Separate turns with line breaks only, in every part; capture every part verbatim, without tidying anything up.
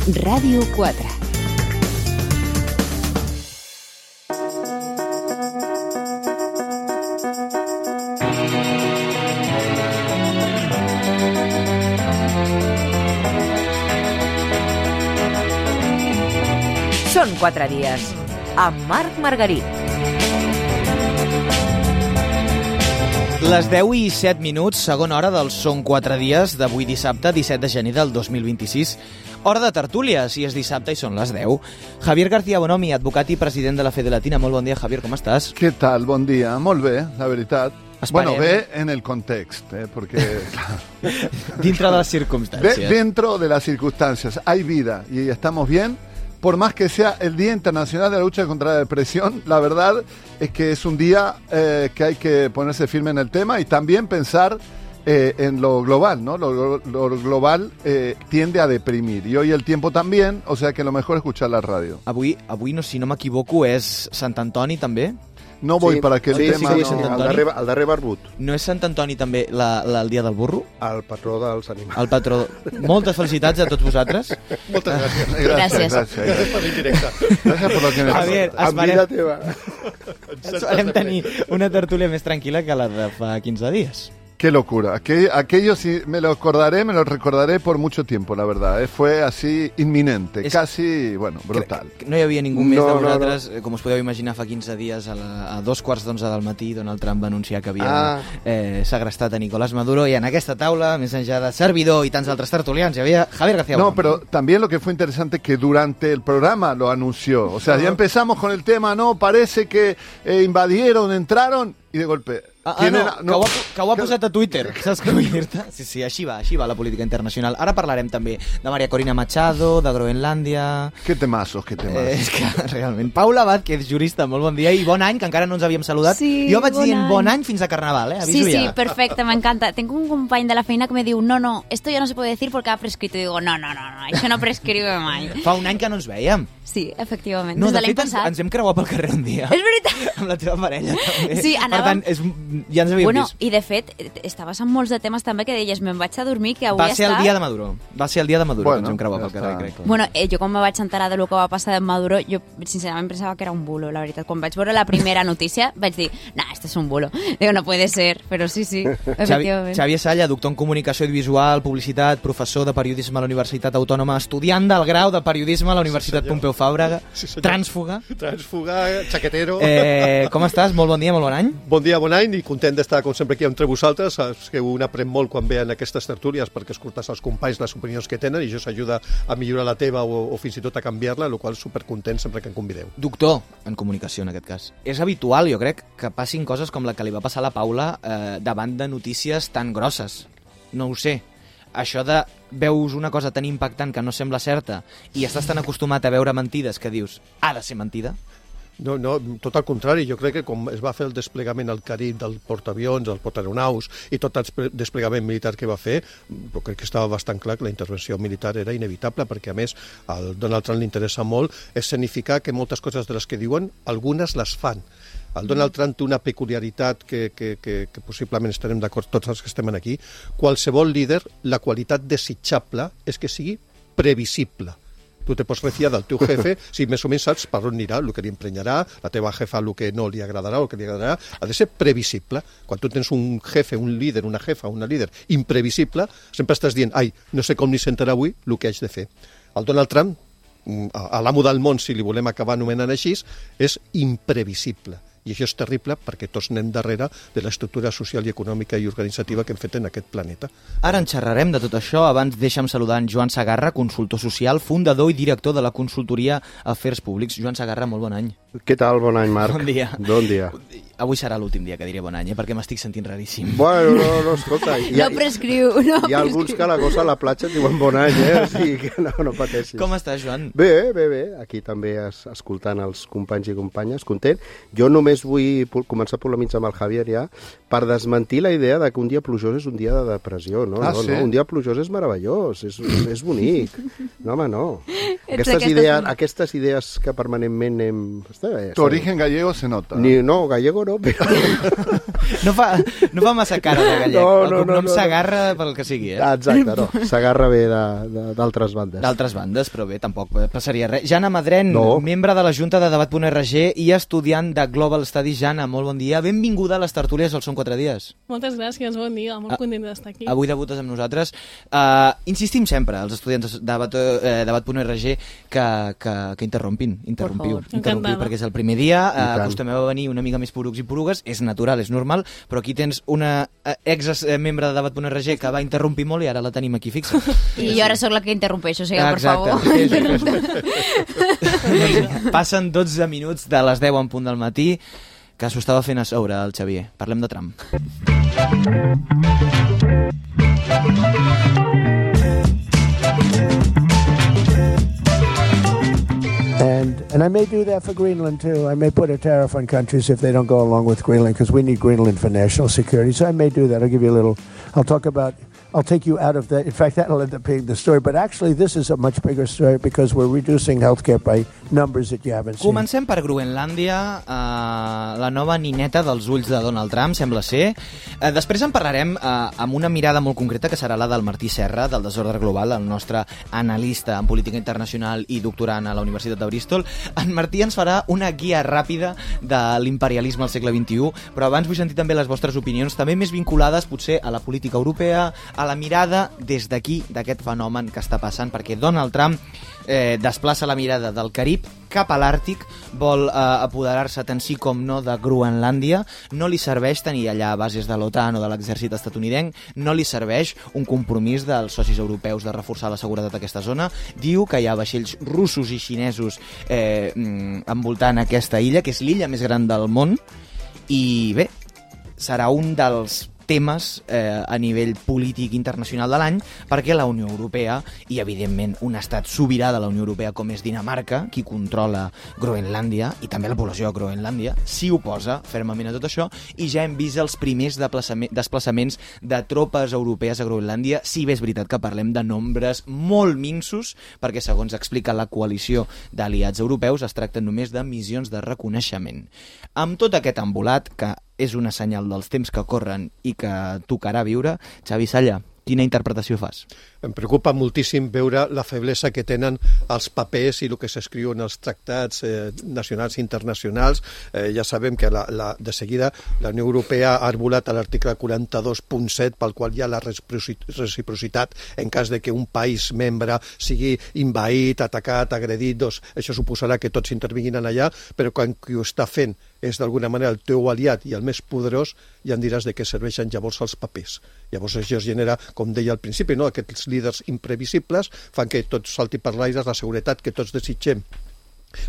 Ràdio quatre. Són quatre dies, amb Marc Margarit.
Les deu i set minuts, segona hora dels Són quatre dies d'avui dissabte, disset de gener del dos mil vint-i-sis. Hora de tertúlia, si és dissabte i són les deu. Javier García Bonomi, advocat i president de la Fede Latina. Molt bon dia, Javier, com estàs?
Què tal? Bon dia. Molt bé, la veritat.
Esperem.
Bueno, bé en el context, eh, porque...
Dintre de les circumstàncies.
De, dentro de las circunstancias. Hay vida y estamos bien. Por más que sea el Día Internacional de la Lucha contra la Depresión, la verdad es que es un día eh, que hay que ponerse firme en el tema y también pensar eh, en lo global, ¿no? Lo, lo global eh, tiende a deprimir. Y hoy el tiempo también, o sea que lo mejor es escuchar la radio.
Avui, avui no, si no m'equivoco, és Sant Antoni, també?
No voy
sí,
para aquel
sí,
tema.
Sí, sí,
no.
sí, el darrer, el darrer barbut.
No és Sant Antoni també la, la, el dia del burro?
El patró dels animals.
El patró. Moltes felicitats a tots vosaltres.
Moltes gràcies.
Gràcies.
Gràcies.
Gràcies.
Per l'indirecte.
Gràcies por lo que me
Javier,
En vida teva.
esperem tenir una tertúlia més tranquil·la que la de fa quinze dies.
Qué locura. Aquello, aquello sí me lo acordaré, me lo recordaré por mucho tiempo, la verdad. Eh. Fue así inminente,
Es...
casi, bueno, brutal.
Crec que no hi havia ningú més
No,
de
no,
vosaltres, no. Com us podeu imaginar, fa quinze dies a, la, a dos quarts d'onze del matí Donald Trump va anunciar que havia
Ah.
eh, segrestat a Nicolás Maduro, i en aquesta taula, més enllà de servidor i tants altres tertulians, hi havia Javier García
No,
Bonomi.
pero también lo que fue interesante que durante el programa lo anunció. O sea, ya empezamos con el tema, no, parece que eh, invadieron, entraron y de golpe...
Ah, ah, no,
tienen-
que, ho ha, que ho ha posat a Twitter, saps què vull dir-te? Sí, sí, així va, així va la política internacional. Ara parlarem també de Maria Corina Machado, de Groenlàndia...
Qué temazos, qué temazos.
Eh, és que realment... Paula Abad, que és jurista, molt bon dia, i bon any, que encara no ens havíem saludat.
Sí,
jo vaig
bon
dient
any.
bon any fins a Carnaval, eh?
Sí,
Aviso
sí,
ja.
perfecte, m'encanta. Tengo un company de la feina que me diu, no, no, esto ya no se puede decir porque ha prescrito. Y digo, no, no, no, no, això no prescribe mai.
Fa un any que no ens veiem.
Sí, efectivament,
No,
des
de
de l'any
fet, ens,
passat.
ens hem creuat pel carrer un dia.
És veritat!
Amb la teva parella, també.
Sí,
Per
anàvem-
tant, és, ja ens havíem
Bueno,
vist.
i de fet, estaves amb molts de temes també que deies, me'n vaig a dormir, que avui
Va ser el
està...
dia de Maduro. Va ser el dia de Maduro
Bueno,
que ens hem creuat
ja
pel carrer,
està.
crec.
Bueno, eh, jo quan me vaig enterar de lo que va passar de Maduro, jo sincerament pensava que era un bulo, la veritat. Quan vaig veure la primera notícia, vaig dir, nah, esto es un bulo. Digo, no puede ser, però sí, sí,
Xavi,
efectivament.
Xavier Salla, doctor en comunicació audiovisual, publicitat, professor de periodisme a la Universitat Autònoma, estudiant del grau de periodisme a la Universitat
Sí,
Pompeu Fabra,
Sí, senyor.
trànsfuga.
Transfuga, xaquetero...
Eh, com estàs? Molt bon dia, molt bon any.
Bon dia, bon any, i content d'estar, com sempre, aquí entre vosaltres. Saps que un aprèn molt quan ve en aquestes tertúlies perquè escoltes als companys les opinions que tenen i això s'ajuda a millorar la teva o, o fins i tot a canviar-la, el qual supercontent sempre que em convideu.
Doctor en comunicació, en aquest cas. És habitual, jo crec, que passin coses com la que li va passar a la Paula eh, davant de notícies tan grosses. No ho sé. Això de veus una cosa tan impactant que no sembla certa i estàs tan acostumat a veure mentides que dius, ha de ser mentida?
No, no, tot al contrari, jo crec que com es va fer el desplegament al Carib del portaavions, del portaeronaus i tot el despre- desplegament militar que va fer, jo crec que estava bastant clar que la intervenció militar era inevitable perquè a més al Donald Trump li interessa molt escenificar que moltes coses de les que diuen, algunes les fan. El Donald Trump té una peculiaritat que, que, que, que possiblement estarem d'acord tots els que estem aquí. Qualsevol líder, la qualitat desitjable és que sigui previsible. Tu te pots refiar del teu jefe si més o menys saps per on anirà, el que li emprenyarà, la teva jefa el que no li agradarà o el que li agradarà, ha de ser previsible. Quan tu tens un jefe, un líder, una jefa, una líder imprevisible, sempre estàs dient, ai, no sé com li sentarà avui el que haig de fer. El Donald Trump, a l'amo del món, si li volem acabar anomenant així, és imprevisible. I això és terrible perquè tots anem darrere de l'estructura social i econòmica i organitzativa que hem fet en aquest planeta.
Ara en xerrarem de tot això. Abans deixa'm saludar en Joan Sagarra, consultor social, fundador i director de la consultoria Afers Públics. Joan Sagarra, molt bon any.
Què tal? Bon any, Marc.
Bon dia.
Bon dia.
Avui serà l'últim dia que diré bon any, eh? Perquè m'estic sentint raríssim.
Bueno, no, no, escolta. Hi ha,
No prescriu, no
hi ha alguns
prescriu.
que a la cosa a la platja et diuen bon any, eh? O sigui que no, no pateixis.
Com estàs, Joan?
Bé, bé, bé. Aquí també es, escoltant els companys i companyes, content. Jo només vull pu- començar a polemitzar amb el Javier ja per desmentir la idea de que un dia plujós és un dia de depressió. No,
Ah,
no,
sí?
no. Un dia plujós és meravellós, és, és bonic. No, home, no.
Ets
Aquestes
d'aquestes
idees,
que-
aquestes idees que permanentment hem, Este,
Tu origen gallego se nota.
Ni, no, gallego no, però...
No fa, no fa massa cara de gallec.
No, no,
el cognom
no, no.
s'agarra pel que sigui, eh?
Ah, exacte, no. S'agarra bé de- de- d'altres bandes.
D'altres bandes, però bé, tampoc passaria res. Jana Madren,
No.
membre de la Junta de Debat punt R G i estudiant de Global Studies. Jana, molt bon dia. Benvinguda a les tertúlies al Són quatre dies.
Moltes gràcies, bon dia, molt
Ah,
content d'estar aquí.
Avui debutes amb nosaltres. Uh, insistim sempre, els estudiants de Debat, eh, Debat punt R G, que, que, que interrompin, interrompiu,
favor.
interrompiu
Encantada.
perquè és el primer dia,
I
uh,
tant.
acostumeu a venir una mica més porucs i porugues, és natural, és normal, però aquí tens una uh, ex-membre de Debat punt R G que va interrompir molt i ara la tenim aquí fixa.
I jo ara sóc la que interrompeixo, o sigui, per
Exacte.
favor.
Sí, sí, sí. Passen dotze minuts de les deu en punt del matí, que s'ho estava fent a sobre el Xavier. Parlem de Trump.
And and I may do that for Greenland too. I may put a tariff on countries if they don't go along with Greenland because we need Greenland for national security. So I may do that. I'll give you a little. I'll talk about. I'll take you out of that. In fact, that'll end up being the story. But actually, this is a much bigger story because we're reducing healthcare by numbers that you haven't seen.
Comencem per Groenlàndia, eh, la nova nineta dels ulls de Donald Trump, sembla ser. Eh, després en parlarem eh, amb una mirada molt concreta, que serà la del Martí Serra, del Desordre Global, el nostre analista en política internacional i doctorant a la Universitat de Bristol. En Martí ens farà una guia ràpida de l'imperialisme al segle vint-i-u, però abans vull sentir també les vostres opinions, també més vinculades potser a la política europea, a la mirada des d'aquí, d'aquest fenomen que està passant, perquè Donald Trump eh, desplaça la mirada del Carib cap a l'Àrtic, vol eh, apoderar-se tant sí com no de Groenlàndia, no li serveix tenir allà bases de l'OTAN o de l'exèrcit estatunidenc, no li serveix un compromís dels socis europeus de reforçar la seguretat d'aquesta zona, diu que hi ha vaixells russos i xinesos eh, envoltant aquesta illa, que és l'illa més gran del món, i bé, serà un dels temes eh, a nivell polític internacional de l'any, perquè la Unió Europea i, evidentment, un estat sobirà de la Unió Europea com és Dinamarca, qui controla Groenlàndia, i també la població de Groenlàndia, s'hi oposa fermament a tot això, i ja hem vist els primers desplaçaments de tropes europees a Groenlàndia, si bé és veritat que parlem de nombres molt minsos, perquè, segons explica la coalició d'aliats europeus, es tracta només de missions de reconeixement. Amb tot aquest embolat, que és una senyal dels temps que corren i que tocarà viure, Xavi Salla, quina interpretació fas?
Em preocupa moltíssim veure la feblesa que tenen els papers i el que s'escriu en els tractats eh, nacionals i internacionals. Eh, ja sabem que la, la, de seguida la Unió Europea ha arbolat a l'article quaranta-dos punt set, pel qual hi ha la reciprocitat en cas de que un país membre sigui invaït, atacat, agredit. Doncs això suposarà que tots intervinguin allà, però quan qui ho està fent és d'alguna manera el teu aliat i el més poderós, ja em diràs de què serveixen llavors els papers. Llavors això es genera, com deia al principi, no? Aquests líders imprevisibles fan que tot salti per l'aire, la seguretat que tots desitgem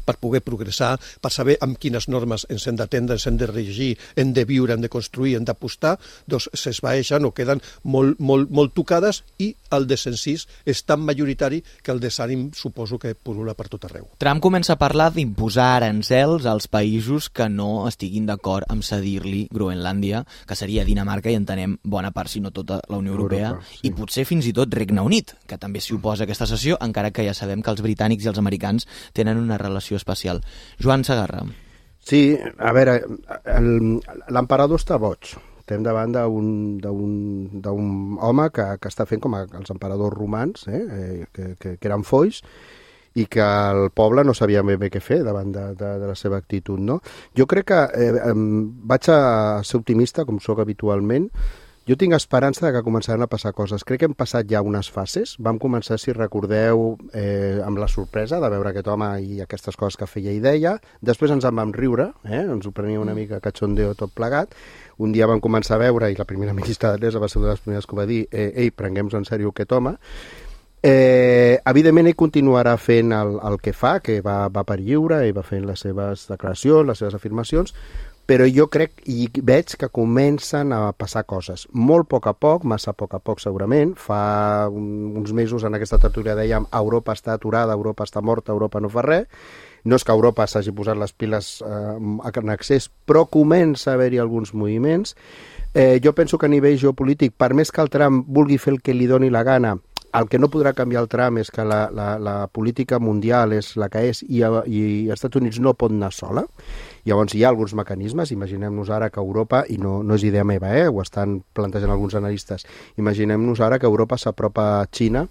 per poder progressar, per saber amb quines normes ens hem d'atendre, ens hem de regir, hem de viure, hem de construir, hem d'apostar, doncs s'esvaeixen o queden molt, molt, molt tocades, i el desencís és tan majoritari que el desànim suposo que purula per tot arreu.
Trump comença a parlar d'imposar aranzels als països que no estiguin d'acord amb cedir-li Groenlàndia, que seria Dinamarca i entenem bona part, si no tota la Unió Europea,
Europa, sí.
i potser fins i tot Regne Unit, que també s'hi oposa a aquesta cessió, encara que ja sabem que els britànics i els americans tenen una relació especial. Joan Segarra.
Sí, a veure, el- l'emperador està boig. Estem davant d'un d'un- d'un home que, que està fent com a, els emperadors romans, eh, eh, que, que, que eren foix, i que el poble no sabia ben bé què fer davant de, de, de la seva actitud, no? Jo crec que eh, em, vaig a ser optimista, com sóc habitualment. Jo tinc esperança de que començaran a passar coses. Crec que hem passat ja unes fases. Vam començar, si recordeu, eh, amb la sorpresa de veure aquest home i aquestes coses que feia i deia. Després ens en vam riure, eh? Ens ho prenia una mica cachondeo tot plegat. Un dia vam començar a veure, i la primera ministra d'Anglesa va ser una de les primeres que ho va dir, eh, ei, prenguem-nos en sèrio aquest home. Eh, evidentment ell continuarà fent el, el que fa, que va, va per lliure, ell va fent les seves declaracions, les seves afirmacions, però jo crec i veig que comencen a passar coses. Molt a poc a poc, massa a poc a poc segurament. Fa un, uns mesos en aquesta tertúlia dèiem Europa està aturada, Europa està morta, Europa no fa res. No és que Europa s'hagi posat les piles eh, en excés, però comença a haver-hi alguns moviments. Eh, jo penso que a nivell geopolític, per més que el Trump vulgui fer el que li doni la gana, el que no podrà canviar el Trump és que la, la, la política mundial és la que és i, i els Estats Units no pot anar sola. Llavors hi ha alguns mecanismes, imaginem-nos ara que Europa, i no, no és idea meva, eh, ho estan plantejant alguns analistes, imaginem-nos ara que Europa s'apropa a Xina,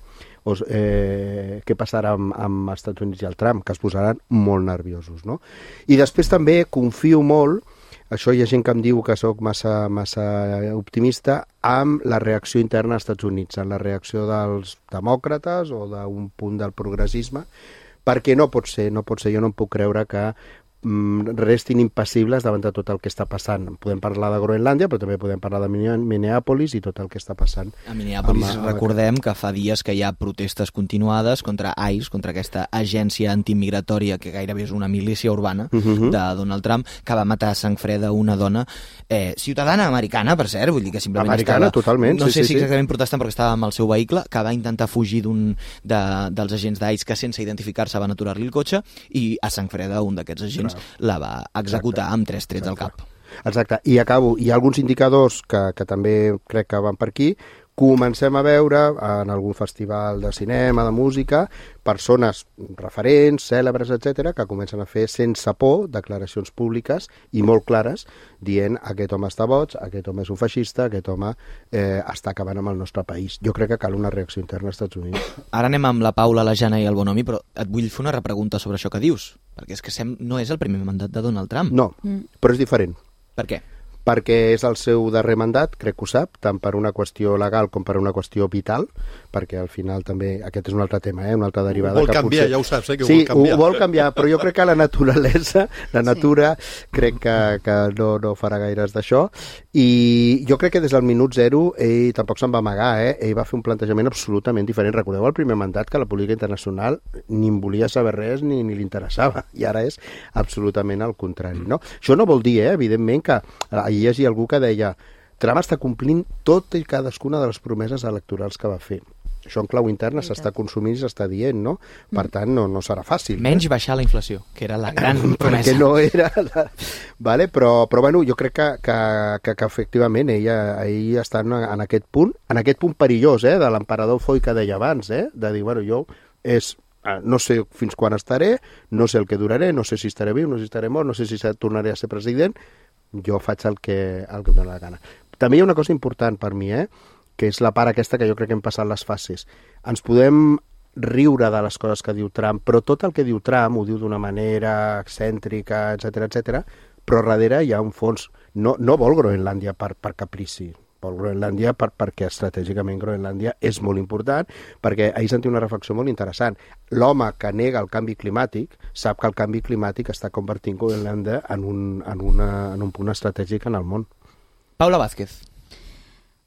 o, eh, què passarà amb, amb els Estats Units i el Trump, que es posaran molt nerviosos, no? I després també confio molt, això hi ha gent que em diu que sóc massa, massa optimista, amb la reacció interna als Estats Units, en la reacció dels demòcrates o d'un punt del progressisme, perquè no pot ser, no pot ser, jo no em puc creure que restin impassibles davant de tot el que està passant. Podem parlar de Groenlàndia, però també podem parlar de Minneapolis i tot el que està passant.
A Minneapolis amb, recordem que fa dies que hi ha protestes continuades contra ICE, contra aquesta agència antimigratòria que gairebé és una milícia urbana uh -huh. de Donald Trump, que va matar a sang freda una dona eh, ciutadana americana, per cert, vull dir que simplement
americana,
estava...
totalment.
No
sí,
sé
sí,
si
sí.
exactament protestant perquè estava amb el seu vehicle, que va intentar fugir d'un de, dels agents d'ICE que sense identificar-se van aturar-li el cotxe i a sang freda un d'aquests agents la va executar Exacte. amb tres trets Exacte. al cap.
Exacte, i acabo. Hi ha alguns indicadors que, que també crec que van per aquí. Comencem a veure en algun festival de cinema, de música, persones referents, cèlebres, etcètera, que comencen a fer sense por declaracions públiques i molt clares, dient aquest home està boig, aquest home és un feixista, aquest home eh, està acabant amb el nostre país. Jo crec que cal una reacció interna als Estats Units.
Ara anem amb la Paula, la Jana i el Bonomi, però et vull fer una repregunta sobre això que dius, perquè és que sem no és el primer mandat de Donald Trump.
No, mm. però és diferent.
Per què?
Perquè és el seu darrer mandat, crec que ho sap, tant per una qüestió legal com per una qüestió vital, perquè al final també, aquest és un altre tema, eh, una altra derivada.
Ho vol
que
canviar,
potser...
ja ho saps, eh, que ho
sí,
vol canviar.
Sí, ho vol canviar, però jo crec que la naturalesa, la natura, sí. crec que, que no, no farà gaires d'això, i jo crec que des del minut zero ell tampoc se'n va amagar, eh? Ell va fer un plantejament absolutament diferent. Recordeu el primer mandat que la política internacional ni en volia saber res ni, ni li interessava, i ara és absolutament al contrari, no? Això no vol dir, eh, evidentment, que hi hagi algú que deia Trump està complint tot i cadascuna de les promeses electorals que va fer. Això en clau interna s'està consumint i s'està dient, no? Per tant, no, no serà fàcil.
Menys eh? baixar la inflació, que era la gran promesa.
Perquè no era... La... Vale? Però, però bueno, jo crec que, que, que, que efectivament ella, ell està en, en aquest punt, en aquest punt perillós, eh? De l'emperador Foy que deia abans, eh? De dir, bueno, jo és... no sé fins quan estaré, no sé el que duraré, no sé si estaré viu, no sé si estaré mort, no sé si tornaré a ser president, jo faig el que, el que em dóna la gana. També hi ha una cosa important per mi, eh? Que és la part aquesta que jo crec que hem passat les fases. Ens podem riure de les coses que diu Trump, però tot el que diu Trump ho diu d'una manera excèntrica, etcètera, etcètera, però darrere hi ha un fons. No, no vol Groenlàndia per, per caprici, vol Groenlàndia per, perquè estratègicament Groenlàndia és molt important, perquè ahir sentia una reflexió molt interessant. L'home que nega el canvi climàtic sap que el canvi climàtic està convertint Groenlàndia en un, en, una, en un punt estratègic en el món.
Paula Vázquez.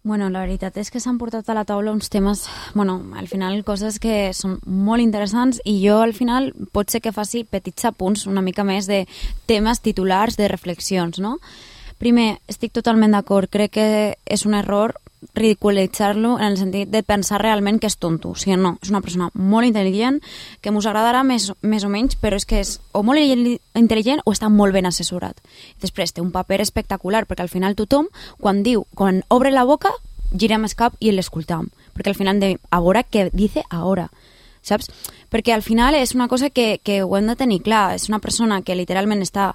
Bueno, la veritat és que s'han portat a la taula uns temes, bueno, al final coses que són molt interessants i jo al final pot ser que faci petits apunts una mica més de temes titulars, de reflexions, no? Primer, estic totalment d'acord, crec que és un error ridiculitzar-lo en el sentit de pensar realment que és tonto. O sigui, no, és una persona molt intel·ligent, que mos agradarà més, més o menys, però és que és o molt intel·ligent o està molt ben assessorat. Després té un paper espectacular, perquè al final tothom, quan diu, quan obre la boca, girem el cap i l'escoltam, perquè al final hem de a veure què dice ahora, saps? Perquè al final és una cosa que, que ho hem de tenir clar, és una persona que literalment està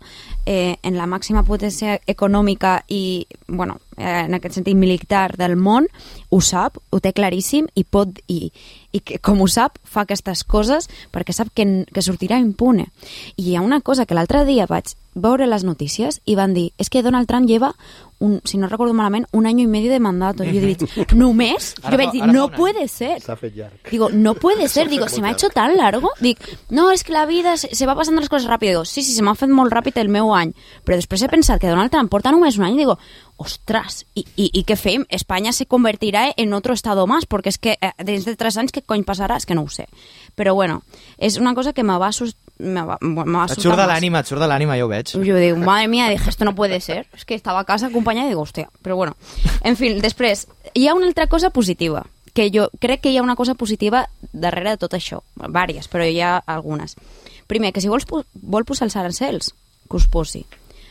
eh, en la màxima potència econòmica i, bueno, eh, en aquest sentit militar del món, ho sap, ho té claríssim i pot, i, i que, com ho sap, fa aquestes coses perquè sap que, que sortirà impune. I hi ha una cosa que l'altre dia vaig veure les notícies i van dir, és que Donald Trump lleva un, si no recordo malament, un año y medio de mandato. Y yo digo, ¿només? Yo me digo, no puede ser. Digo, no puede ser. Digo, ¿se me ha hecho tan largo? Dic, no, és que la vida se, se va passant les coses ràpid. Digo, sí, sí, se m'ha fet molt ràpid el meu any. Però després he pensat que Donald Trump porta només un any i digo, ostras, i, i, i què fem? Espanya se convertirà en otro estado más, perquè és que eh, dins de tres anys què cony passarà? És que no ho sé. Però bueno, és una cosa que me va assustar. Me va, me va
et surt de l'ànima, et surt de l'ànima, ja ho veig.
Jo digo, madre mía, dije, esto no puede ser. És que estava a casa acompanyada i digo, hòstia, però bueno. En fi, després, hi ha una altra cosa positiva, que jo crec que hi ha una cosa positiva darrere de tot això. Vàries, però hi ha algunes. Primer, que si vols, vol posar els arancels, que us posi.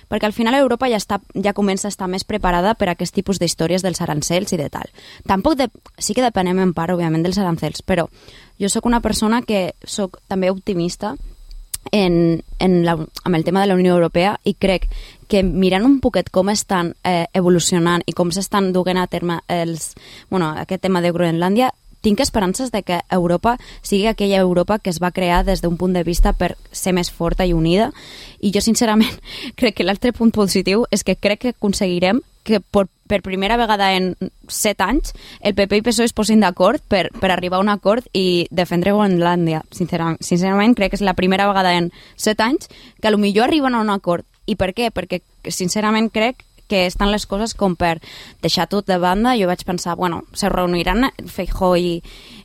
perquè al final Europa ja, està, ja comença a estar més preparada per a aquest tipus d'històries dels arancels i de tal. Tampoc de, sí que depenem en part, òbviament, dels arancels, però jo sóc una persona que sóc també optimista en, en la, amb el tema de la Unió Europea i crec que mirant un poquet com estan eh, evolucionant i com s'estan duent a terme els, bueno, aquest tema de Groenlàndia, tinc esperances de que Europa sigui aquella Europa que es va crear des d'un punt de vista per ser més forta i unida, i jo sincerament crec que l'altre punt positiu és que crec que aconseguirem que per, per primera vegada en set anys el P P i P S O E es posin d'acord per, per arribar a un acord i defendre Groenlàndia. Sincerament, sincerament crec que és la primera vegada en set anys que potser arriben a un acord. I per què? Perquè sincerament crec que estan les coses com per deixar tot de banda. Jo vaig pensar, bueno, se reuniran Feijóo i,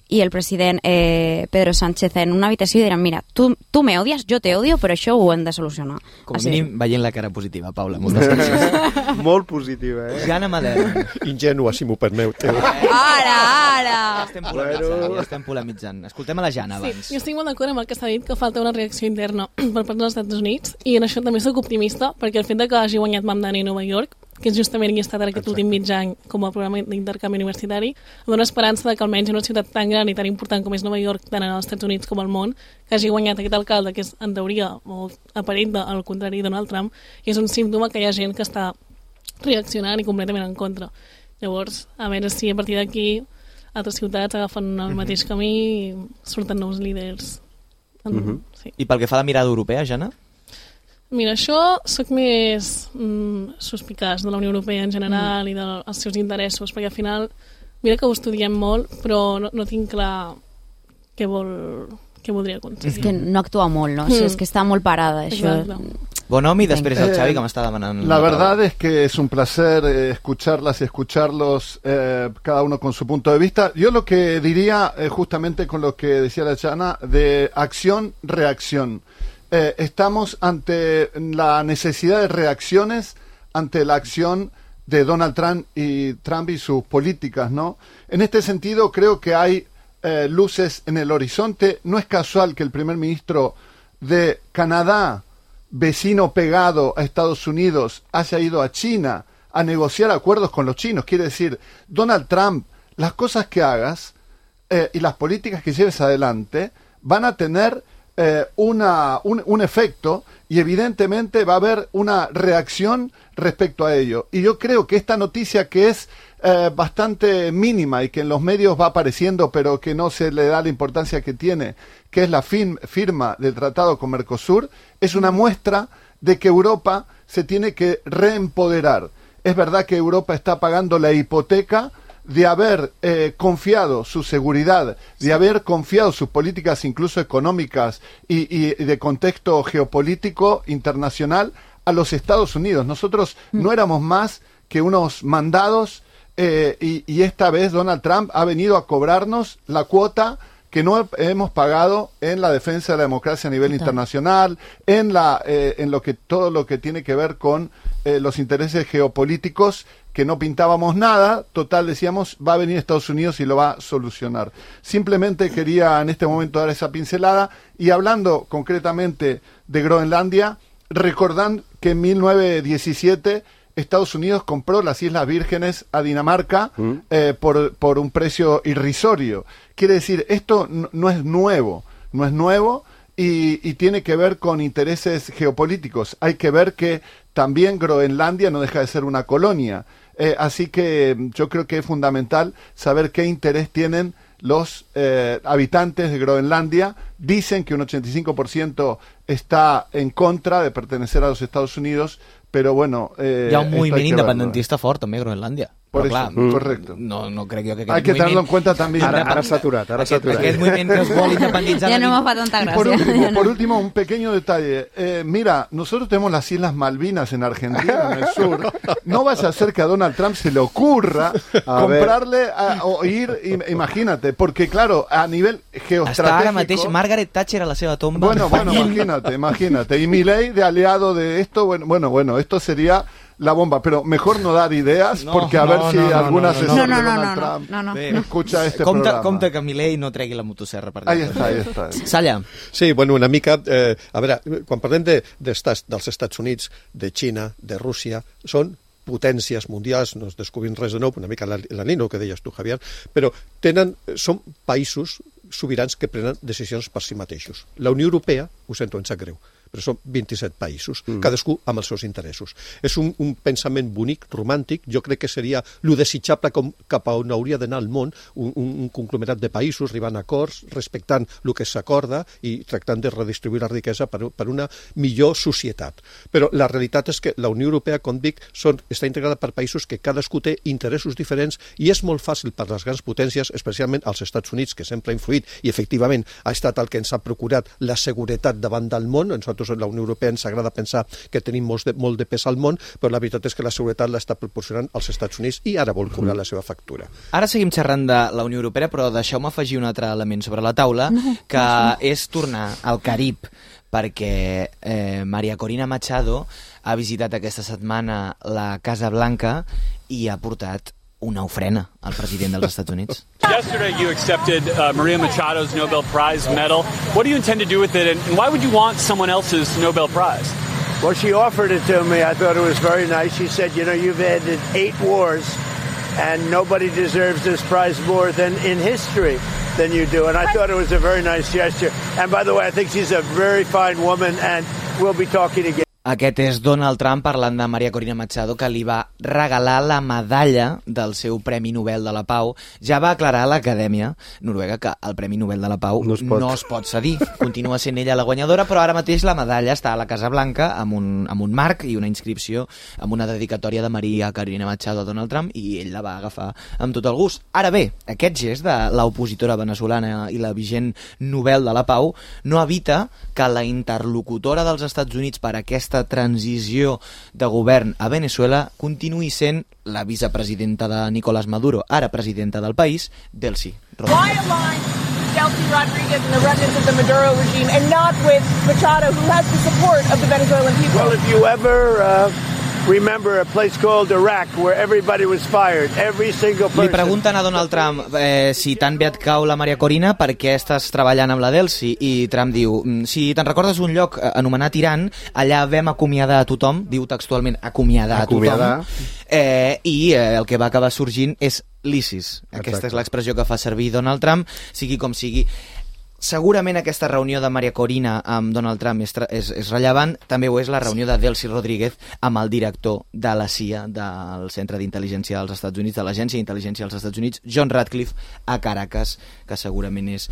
i el president eh, Pedro Sánchez en una habitació i diran, mira, tu, tu me odies, jo te odio, però això ho hem de solucionar.
Com a
Així.
mínim veient la cara positiva, Paula. Moltes gràcies.
Molt positiva, eh?
Jana Madera.
Ingènua, si m'ho permeteu.
Ara, ara!
Ja estem polemitzant, ja estem polemitzant. Escoltem a la Jana
Sí,
abans.
jo estic molt d'acord amb el que s'ha dit, que falta una reacció interna per part dels Estats Units, i en això també soc optimista, perquè el fet de que hagi guanyat Mamdani a Nova York, que justament hi ha estat ara aquest últim mig any com a programa d'intercanvi universitari, em dona esperança de que almenys en una ciutat tan gran i tan important com és Nova York, tant als Estats Units com al món, que hagi guanyat aquest alcalde, que és en teoria o aparent al contrari Donald Trump, i és un símptoma que hi ha gent que està reaccionant i completament en contra. Llavors, a veure si a partir d'aquí altres ciutats agafen el mateix camí i surten nous líders.
Mhm.
Sí.
I pel que fa a la mirada europea, Jana?
Mira, això sóc més mm, suspicaç de la Unió Europea en general mm. i dels seus interessos, perquè al final, mira que ho estudiem molt, però no, no tinc clar què vol què voldria aconseguir.
És que no actua molt, no? O sigui, és que està molt parada, això.
Exacte.
Bon home, i després el
Eh,
Xavi, que m'està demanant...
La verdad es que es un placer eh, escucharlas y escucharlos, eh, cada uno con su punto de vista. Yo lo que diría, eh, justamente con lo que decía la Chana, de acción-reacción. Eh, estamos ante la necesidad de reacciones ante la acción de Donald Trump y, Trump y sus políticas, ¿no? En este sentido, creo que hay eh, luces en el horizonte. No es casual que el primer ministro de Canadá, vecino pegado a Estados Unidos, haya ido a China a negociar acuerdos con los chinos. Quiere decir, Donald Trump, las cosas que hagas eh, y las políticas que lleves adelante van a tener eh, una, un, un efecto, y evidentemente va a haber una reacción respecto a ello. Y yo creo que esta noticia, que es eh, bastante mínima y que en los medios va apareciendo pero que no se le da la importancia que tiene, que es la fin, firma del tratado con Mercosur, es una muestra de que Europa se tiene que reempoderar. Es verdad que Europa está pagando la hipoteca de haber eh, confiado su seguridad, de haber confiado sus políticas incluso económicas y, y de contexto geopolítico internacional a los Estados Unidos. Nosotros mm. no éramos más que unos mandados, eh, y, y esta vez Donald Trump ha venido a cobrarnos la cuota que no hemos pagado en la defensa de la democracia a nivel Total. internacional, en la eh, en lo que todo lo que tiene que ver con eh, los intereses geopolíticos, que no pintábamos nada. Total, decíamos, va a venir Estados Unidos y lo va a solucionar. Simplemente quería en este momento dar esa pincelada, y hablando concretamente de Groenlandia, recordando que en mil novecientos diecisiete Estados Unidos compró las Islas Vírgenes a Dinamarca mm. eh, por, por un precio irrisorio. Quiere decir, esto no, no es nuevo, no es nuevo y, y tiene que ver con intereses geopolíticos. Hay que ver que también Groenlandia no deja de ser una colonia. Eh, así que yo creo que es fundamental saber qué interés tienen los eh, habitantes de Groenlandia. Dicen que un ochenta y cinco por ciento está en contra de pertenecer a los Estados Unidos, pero bueno... Eh,
Hi ha un moviment independentista fort, també, a Groenlàndia.
Por
Però,
eso,
clar,
correcto.
No, no crec jo que aquest
Hay que
moviment...
tenerlo en cuenta también.
Ara, ara s'ha aturat, ara s'ha aturat.
Aquest moviment que es vol independitzar...
Ja no me fa tanta
Y
gràcia.
por último,
Ja
por
no.
último, un pequeño detalle. Eh, mira, nosotros tenemos las Islas Malvinas en Argentina, en el sur. No vaya a ser que a Donald Trump se le ocurra
A
comprarle a- o ir, im- imagínate, porque claro, a nivel
Està ara mateix
geoestratégico...
Margaret Thatcher a la seva tomba.
Bueno, bueno, imagínate, imagínate. Y Milei de aliado de esto, bueno, bueno, bueno, esto sería la bomba, pero mejor no dar ideas,
no,
porque a
no,
ver si
no, no,
algún
no, no,
asesor
no,
de
no,
Donald
no,
Trump
no, no,
Bé,
no.
escucha este
compte,
programa.
compte que Milei no tregui la motosserra per
Ahí
allà.
està, ahí està.
Salla.
Sí, bueno, una mica... Eh, a veure, quan parlem de, de estats, dels Estats Units, de Xina, de Rússia, són potències mundials, no es descobrim res de nou, una mica la, la Nino, que deies tu, Javier, però tenen, són països sobirans que prenen decisions per si mateixos. La Unió Europea, ho sento, em sap greu, però són vint-i-set països, mm. cadascú amb els seus interessos. És un, un pensament bonic, romàntic, jo crec que seria lo desitjable com, cap a on hauria d'anar el món, un, un, un conglomerat de països, arribant a acords, respectant el que s'acorda i tractant de redistribuir la riquesa per, per una millor societat. Però la realitat és que la Unió Europea, com dic, són, està integrada per països que cadascú té interessos diferents i és molt fàcil per les grans potències, especialment als Estats Units, que sempre ha influït i efectivament ha estat el que ens ha procurat la seguretat davant del món. Nosaltres a la Unió Europea ens agrada pensar que tenim molt de, molt de pes al món, però la veritat és que la seguretat l'està proporcionant als Estats Units i ara vol cobrar la seva factura.
Ara seguim xerrant de la Unió Europea, però deixeu-me afegir un altre element sobre la taula,
No,
que
no.
és tornar al Carib, perquè eh, Maria Corina Machado ha visitat aquesta setmana la Casa Blanca i ha portat una ofrena al president dels Estats Units.
Yesterday you accepted uh, Maria Machado's Nobel Prize medal. What do you intend to do with it, and why would you want someone else's Nobel Prize?
Well, she offered it to me. I thought it was very nice. She said, you know, you've ended eight wars, and nobody deserves this prize more than in history than you do. And I thought it was a very nice gesture. And by the way, I think she's a very fine woman, and we'll be talking again.
Aquest és Donald Trump parlant de Maria Corina Machado, que li va regalar la medalla del seu Premi Nobel de la Pau. Ja va aclarar a l'Acadèmia Noruega que el Premi Nobel de la Pau
No es pot.
no es pot cedir. Continua sent ella la guanyadora, però ara mateix la medalla està a la Casa Blanca amb un, amb un marc i una inscripció amb una dedicatòria de Maria Corina Machado a Donald Trump, i ell la va agafar amb tot el gust. Ara bé, aquest gest de l'opositora venezolana i la vigent Nobel de la Pau no evita que la interlocutora dels Estats Units per aquesta transició de govern a Venezuela continuï sent la vicepresidenta de Nicolás Maduro, ara presidenta del país, Delcy Rodríguez.
Why align Delcy Rodriguez and the remnants of the Maduro regime and not with Machado, who has the support of the Venezuelan people?
Well, if you ever uh, remember a place called Iraq where everybody was fired, every single person...
Li pregunten a Donald Trump eh, si tan bé et cau la Maria Corina, per què estàs treballant amb la Delcy, i Trump diu, si te'n recordes un lloc anomenat Iran, allà vam acomiadar a tothom, diu textualment acomiadar,
Acomiadar.
a tothom, eh, i eh, el que va acabar sorgint és l'ISIS. Aquesta és l'expressió que fa servir Donald Trump, sigui com sigui. Segurament aquesta reunió de Maria Corina amb Donald Trump és, és, és rellevant, també ho és la reunió de Delcy Rodríguez amb el director de la C I A, del Centre d'Intel·ligència dels Estats Units, de l'Agència d'Intel·ligència dels Estats Units, John Ratcliffe, a Caracas, que segurament és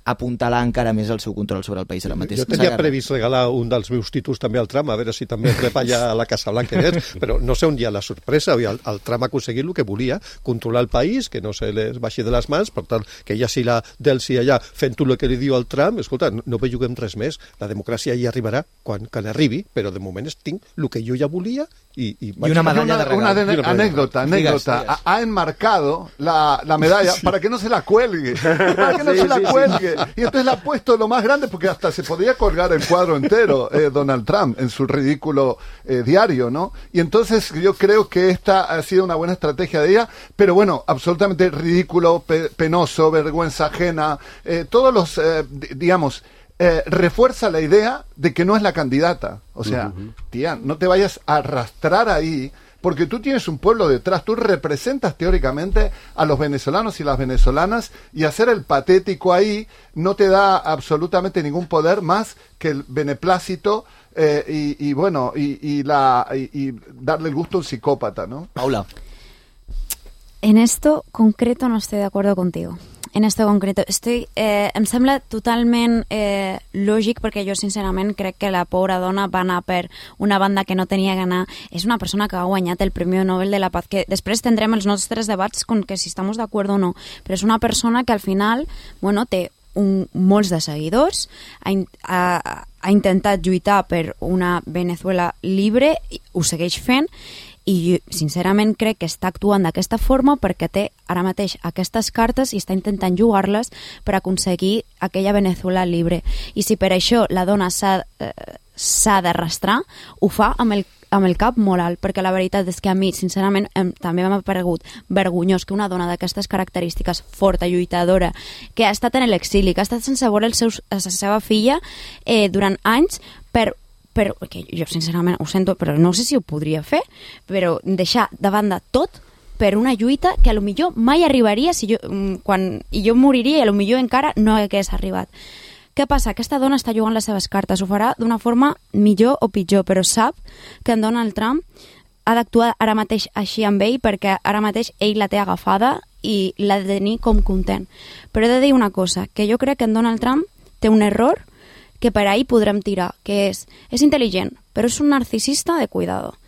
apuntalar encara més el seu control sobre el país ara mateix.
Jo tenia previst regalar un dels meus títols també al Trump, a veure si també rep allà a la Casa Blanca, però no sé on hi ha la sorpresa. El, el Trump ha aconseguit el que volia, controlar el país, que no se les baixi de les mans, per tant, que ja si la Delcy allà fent tot el que li diu al Trump, escolta, no, no belluguem res més, la democràcia hi arribarà quan, quan arribi, però de moment tinc el que jo ja volia i... I,
I una medalla de regal.
Una, de, una anécdota, anécdota.
Digas, digas.
Ha, ha enmarcado la, la medalla sí. para que no se la cuelgue, para que no sí, se la sí, cuelgue. Sí. Y entonces la ha puesto lo más grande, porque hasta se podría colgar el cuadro entero, eh, Donald Trump, en su ridículo eh, diario, ¿no? Y entonces yo creo que esta ha sido una buena estrategia de ella, pero bueno, absolutamente ridículo, pe penoso, vergüenza ajena, eh, todos los, eh, digamos... Eh, refuerza la idea de que no es la candidata. O sea, uh-huh. tía, no te vayas a arrastrar ahí, porque tú tienes un pueblo detrás, tú representas teóricamente a los venezolanos y las venezolanas, y hacer el patético ahí no te da absolutamente ningún poder más que el beneplácito eh, y, y bueno, y, y, la, y, y darle el gusto a un psicópata, ¿no?
Paula.
En esto concreto no estoy de acuerdo contigo. En esto concreto, estoy, eh, em sembla totalment eh, lògic, perquè jo sincerament crec que la pobra dona va anar per una banda que no tenia que anar. És una persona que ha guanyat el Premi Nobel de la Paz, que després tindrem els nostres debats con que si estamos de acuerdo o no, però és una persona que al final, bueno, té un, molts de seguidors, ha, ha, ha intentat lluitar per una Venezuela libre, ho segueix fent, i jo, sincerament crec que està actuant d'aquesta forma perquè té ara mateix aquestes cartes i està intentant jugar-les per aconseguir aquella Venezuela libre. I si per això la dona s'ha eh, s'ha d'arrastrar, ho fa amb el amb el cap molt alt, perquè la veritat és que a mi, sincerament, em, també m'ha paregut vergonyós que una dona d'aquestes característiques, forta, lluitadora, que ha estat en l'exili, que ha estat sense veure el seus, la seva filla eh, durant anys, per, per, que jo sincerament ho sento, però no sé si ho podria fer, però deixar de banda tot per una lluita que a lo millor mai arribaria si jo, quan, i jo moriria i a lo millor encara no hagués arribat. Què passa? Aquesta dona està jugant les seves cartes, ho farà d'una forma millor o pitjor, però sap que en Donald Trump ha d'actuar ara mateix així amb ell perquè ara mateix ell la té agafada i l'ha de tenir com content. Però he de dir una cosa, que jo crec que en Donald Trump té un error que per ahí podrem tirar, que és, és intel·ligent, però és un narcisista de cuidado.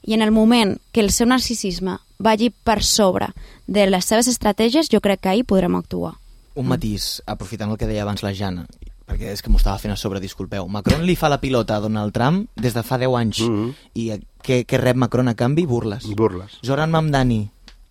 I en el moment que el seu narcisisme vagi per sobre de les seves estratègies, jo crec que ahí podrem actuar.
Un matís, aprofitant el que deia abans la Jana, perquè és que m'ho estava fent a sobre, disculpeu. Macron li fa la pilota a Donald Trump des de fa deu anys. Mm-hmm. I què, què rep Macron a canvi? Burles.
Burles.
Zoran Mamdani,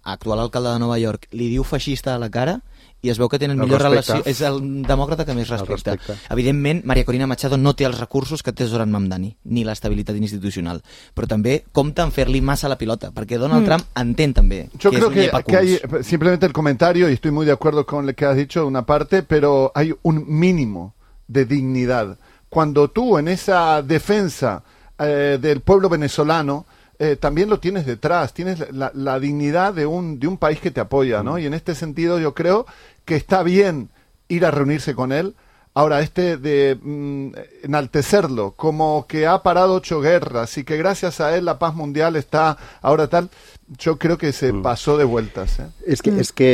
actual alcalde de Nova York, li diu feixista a la cara i es veu que tenen millor relació. És el demòcrata que més respecta. Evidentment, Maria Corina Machado no té els recursos que té Zoran Mamdani, ni l'estabilitat institucional. Però també compta en fer-li massa la pilota, perquè Donald mm. Trump entén també
Yo
que
creo
és un
que,
llepaculs.
que hay simplemente el comentario, y estoy muy de acuerdo con lo que has dicho, una parte, pero hay un mínimo de dignidad. Cuando tú en esa defensa eh, del pueblo venezolano eh, también lo tienes detrás, tienes la, la dignidad de un, de un país que te apoya, ¿no? Y en este sentido yo creo que está bien ir a reunirse con él. Ahora, este de mm, enaltecerlo como que ha parado ocho guerras y que gracias a él la paz mundial está ahora tal, jo crec que se mm. passó de vueltas. Eh?
És que, mm. és que,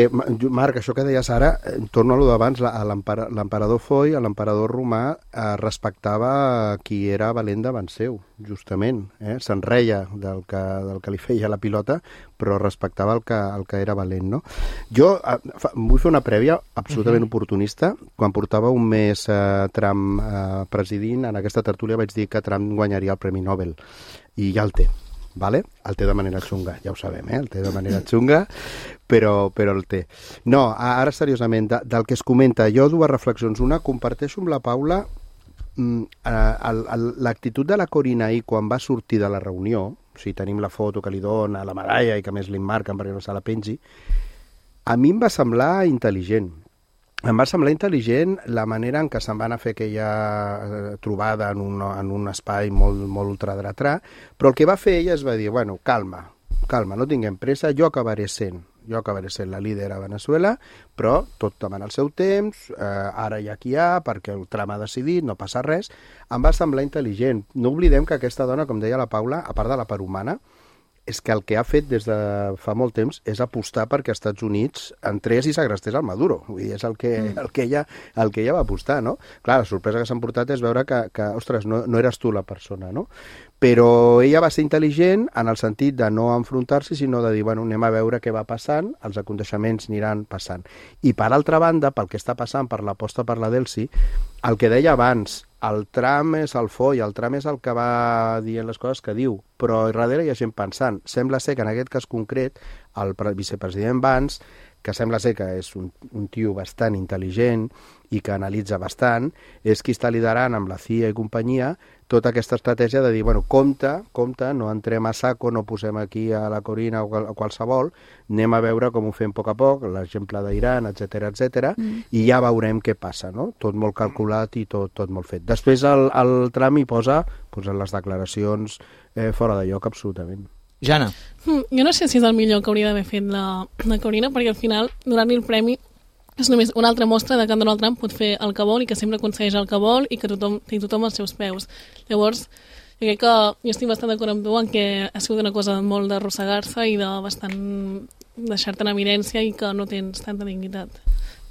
Marc, això que deies ara, torno a lo d'abans, l'emperador Foy, l'emperador romà, eh, respectava qui era valent davant seu, justament. Eh? Se'n reia del que, del que li feia la pilota, però respectava el que, el que era valent. No? Jo eh, fa, vull fer una prèvia absolutament uh-huh. oportunista. Quan portava un mes eh, Trump eh, presidint, en aquesta tertúlia vaig dir que Trump guanyaria el Premi Nobel. I ja el té. Vale? El té de manera xunga, ja ho sabem, eh? El té de manera xunga, però, però el té. No, ara seriosament, de, del que es comenta, jo dues reflexions. Una, comparteixo amb la Paula mm, l'actitud de la Corina ahir quan va sortir de la reunió, o sigui, tenim la foto que li dona, la medalla i que més li marquen perquè no se la pengi, a mi em va semblar intel·ligent. Em va semblar intel·ligent la manera en què se'n van a fer aquella trobada en un, en un espai molt, molt ultradretrà, però el que va fer ella es va dir, bueno, calma, calma, no tinguem pressa, jo acabaré sent, jo acabaré sent la líder a Venezuela, però tot demana el seu temps, eh, ara hi ha qui hi ha, perquè el tram ha decidit, no passa res. Em va semblar intel·ligent. No oblidem que aquesta dona, com deia la Paula, a part de la part humana, és que el que ha fet des de fa molt temps és apostar perquè els Estats Units entrés i segrestés el Maduro. Vull dir, és el que, mm. el que, ella, el que ella va apostar, no? Clar, la sorpresa que s'han portat és veure que, que ostres, no, no eres tu la persona, no? Però ella va ser intel·ligent en el sentit de no enfrontar-s'hi, sinó de dir, bueno, anem a veure què va passant, els aconteixements aniran passant. I per altra banda, pel que està passant, per l'aposta per la Delcy, el que deia abans, el Trump és el Foy, el Trump és el que va dient les coses que diu, però darrere hi ha gent pensant. Sembla ser que en aquest cas concret, el vicepresident Vance, que sembla ser que és un, un tio bastant intel·ligent i que analitza bastant, és qui està liderant amb la C I A i companyia tota aquesta estratègia de dir, bueno, compte, compte, no entrem a saco, no posem aquí a la Corina o a qualsevol, anem a veure com ho fem a poc a poc, l'exemple d'Iran, etcètera, etcètera, mm. i ja veurem què passa, no? Tot molt calculat i tot, tot molt fet. Després el, el Trump hi posa pues, les declaracions eh, fora de lloc, absolutament.
Jana.
Mm, jo no sé si és el millor que hauria d'haver fet la, la Corina, perquè al final, donant-li el premi, és només una altra mostra de que en Donald Trump pot fer el que vol i que sempre aconsegueix el que vol i que tothom té tothom als seus peus. Llavors, jo crec que jo estic bastant d'acord amb tu en que ha sigut una cosa molt d'arrossegar-se i de bastant deixar-te en evidència i que no tens tanta dignitat.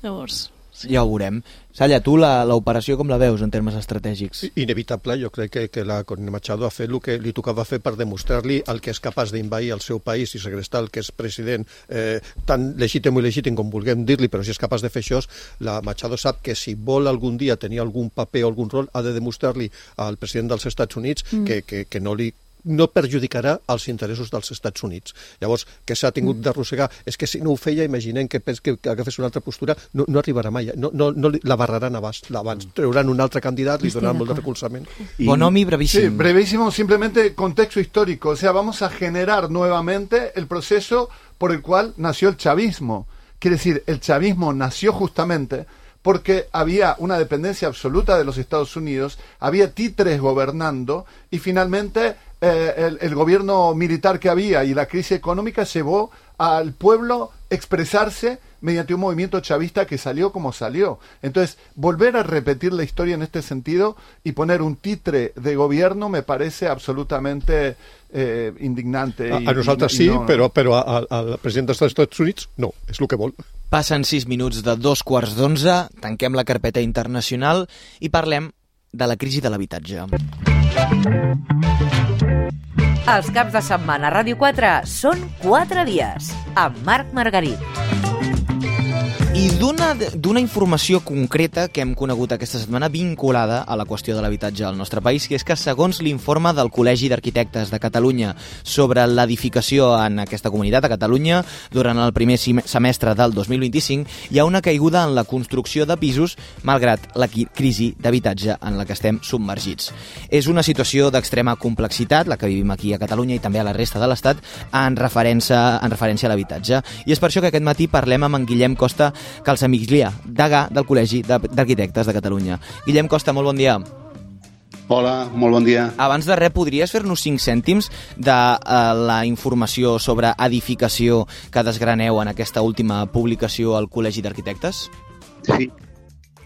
Llavors...
Sí. Ja ho veurem. Salla, tu l'operació com la veus en termes estratègics?
Inevitable, jo crec que, que la Corina Machado ha fet el que li tocava fer per demostrar-li el que és capaç d'invair el seu país i segrestar el que és president eh, tan legítim i legítim com vulguem dir-li, però si és capaç de fer això, la Machado sap que si vol algun dia tenir algun paper o algun rol ha de demostrar-li al president dels Estats Units mm. que, que, que no li no perjudicarà els interessos dels Estats Units. Llavors, què s'ha tingut d'arrossegar? És que si no ho feia, imaginem que, que, que agafés una altra postura, no, no arribarà mai. No, no, no la barraran abans. abans. Trauran un altre candidat, li donaran molt de recolzament.
Y... Bonomi, brevísimo.
Sí, brevísimo, simplemente contexto histórico. O sea, vamos a generar nuevamente el proceso por el cual nació el chavismo. Quiere decir, el chavismo nació justamente porque había una dependencia absoluta de los Estados Unidos, había títeres gobernando y finalmente eh, el, el gobierno militar que había y la crisis económica llevó al pueblo expresarse mediante un movimiento chavista que salió como salió. Entonces, volver a repetir la historia en este sentido y poner un titre de gobierno me parece absolutamente eh, indignante.
A,
i,
a nosaltres
i,
sí,
no,
però, però al president dels Estats Units no, és el que vol.
Passen sis minuts de dos quarts d'onze, tanquem la carpeta internacional i parlem de la crisi de l'habitatge.
Els caps de setmana a Ràdio quatre són quatre dies, amb Marc Margarit.
I d'una d'una informació concreta que hem conegut aquesta setmana vinculada a la qüestió de l'habitatge al nostre país, que és que segons l'informe del Col·legi d'Arquitectes de Catalunya sobre l'edificació en aquesta comunitat a Catalunya durant el primer semestre del dos mil vint-i-cinc, hi ha una caiguda en la construcció de pisos malgrat la crisi d'habitatge en la que estem submergits. És una situació d'extrema complexitat, la que vivim aquí a Catalunya i també a la resta de l'Estat, en referència, en referència a l'habitatge. I és per això que aquest matí parlem amb en Guillem Costa Calsamiglia, degà del Col·legi d'Arquitectes de Catalunya. Guillem Costa, molt bon dia.
Hola, molt bon dia.
Abans de res, podries fer-nos cinc cèntims de uh, la informació sobre edificació que desgraneu en aquesta última publicació al Col·legi d'Arquitectes?
Sí.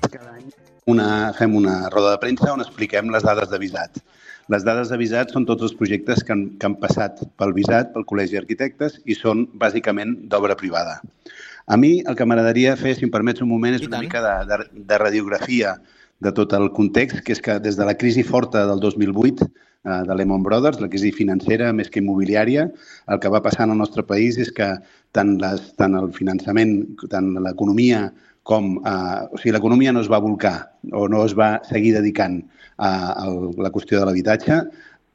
Cada any una, fem una roda de premsa on expliquem les dades de visat. Les dades de visat són tots els projectes que han, que han passat pel visat, pel Col·legi d'Arquitectes, i són bàsicament d'obra privada. A mi el que m'agradaria fer, si em permets un moment, és una mica de, de, de radiografia de tot el context, que és que des de la crisi forta del dos mil vuit eh, de Lehman Brothers, la crisi financera més que immobiliària, el que va passar en el nostre país és que tant, les, tant el finançament, tant l'economia com... Eh, o sigui, l'economia no es va volcar o no es va seguir dedicant a, a la qüestió de l'habitatge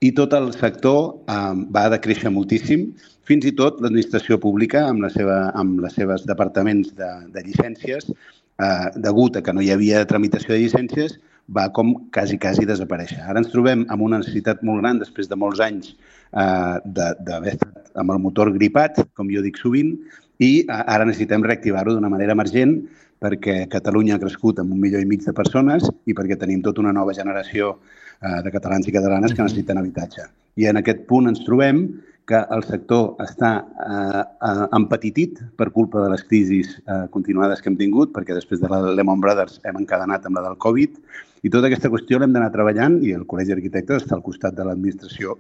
i tot el sector eh, va decréixer moltíssim. Fins i tot l'administració pública, amb, la seva, amb les seves departaments de, de llicències, eh, degut a que no hi havia tramitació de llicències, va com quasi, quasi desaparèixer. Ara ens trobem amb una necessitat molt gran, després de molts anys eh, d'haver estat amb el motor gripat, com jo dic sovint, i eh, ara necessitem reactivar-ho d'una manera emergent perquè Catalunya ha crescut amb un milió i mig de persones i perquè tenim tota una nova generació eh, de catalans i catalanes que necessiten habitatge. I en aquest punt ens trobem que el sector està eh, eh, empetitit per culpa de les crisis eh, continuades que hem tingut, perquè després de la Lehman Brothers hem encadenat amb la del Covid, i tota aquesta qüestió l'hem d'anar treballant i el Col·legi d'Arquitectes està al costat de l'administració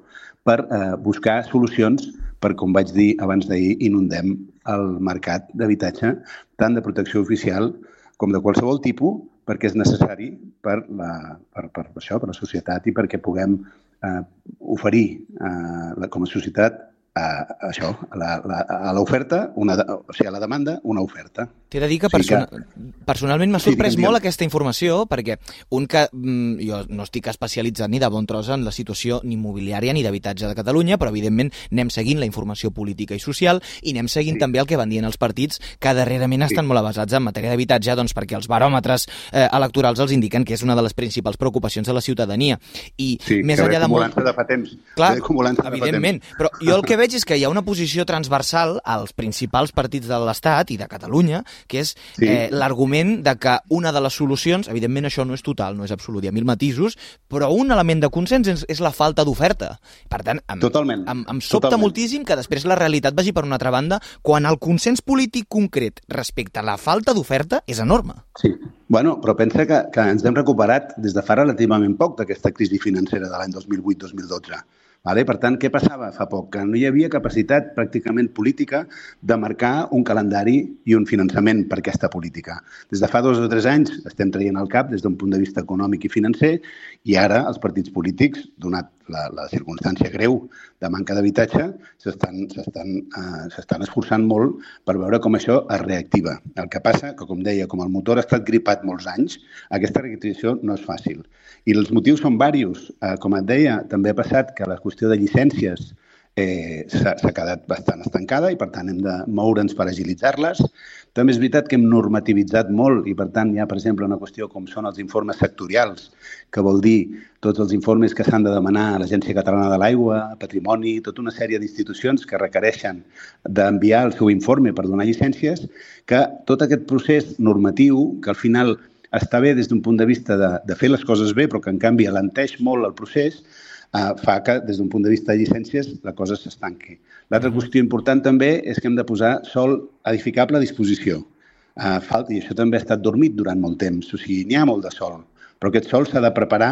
per eh, buscar solucions per, com vaig dir abans d'ahir, inundem el mercat d'habitatge tant de protecció oficial com de qualsevol tipus, perquè és necessari per la, per, per això, per la societat i perquè puguem Uh, oferir uh, com a societat a, a això, a, la, la, a l'oferta, una, o sigui, a la demanda, una oferta.
T'he de dir que, persona, sí que... personalment m'ha sorprès sí, molt aquesta informació, perquè un que mm, jo no estic especialitzat ni de bon tros en la situació ni immobiliària ni d'habitatge de Catalunya, però evidentment anem seguint la informació política i social i anem seguint sí. també el que van dient els partits que darrerament sí. estan molt avasats en matèria d'habitatge, doncs perquè els baròmetres eh, electorals els indiquen que és una de les principals preocupacions de la ciutadania. I
sí,
més enllà de molt...
de fa temps.
Clar, evidentment, de fa temps. Però jo el que veig és que hi ha una posició transversal als principals partits de l'Estat i de Catalunya, que és sí. eh, l'argument de que una de les solucions, evidentment això no és total, no és absolut, hi ha mil matisos, però un element de consens és, és la falta d'oferta. Per tant, em,
Totalment.
em, em sobta
Totalment.
moltíssim que després la realitat vagi per una altra banda, quan el consens polític concret respecte a la falta d'oferta és enorme.
Sí, bueno, però pensa que, que ens hem recuperat des de fa relativament poc d'aquesta crisi financera de l'any dos mil vuit dos mil dotze. Vale? Per tant, què passava fa poc? Que no hi havia capacitat pràcticament política de marcar un calendari i un finançament per aquesta política. Des de fa dos o tres anys estem traient al cap des d'un punt de vista econòmic i financer i ara els partits polítics, donat la, la circumstància greu de manca d'habitatge, s'estan uh, s'estan esforçant molt per veure com això es reactiva. El que passa que, com deia, com el motor ha estat gripat molts anys, aquesta reactivació no és fàcil. I els motius són diversos. Uh, com et deia, també ha passat que la qüestió de llicències eh, s'ha quedat bastant estancada i, per tant, hem de moure'ns per agilitzar-les. També és veritat que hem normativitzat molt i, per tant, hi ha, per exemple, una qüestió com són els informes sectorials, que vol dir tots els informes que s'han de demanar a l'Agència Catalana de l'Aigua, a Patrimoni, tota una sèrie d'institucions que requereixen d'enviar el seu informe per donar llicències, que tot aquest procés normatiu, que al final està bé des d'un punt de vista de, de fer les coses bé, però que en canvi alenteix molt el procés, eh, fa que des d'un punt de vista de llicències la cosa s'estanqui. L'altra qüestió important també és que hem de posar sòl edificable a disposició. Uh, falta, i això també ha estat dormit durant molt temps. O sigui, n'hi ha molt de sòl, però aquest sòl s'ha de preparar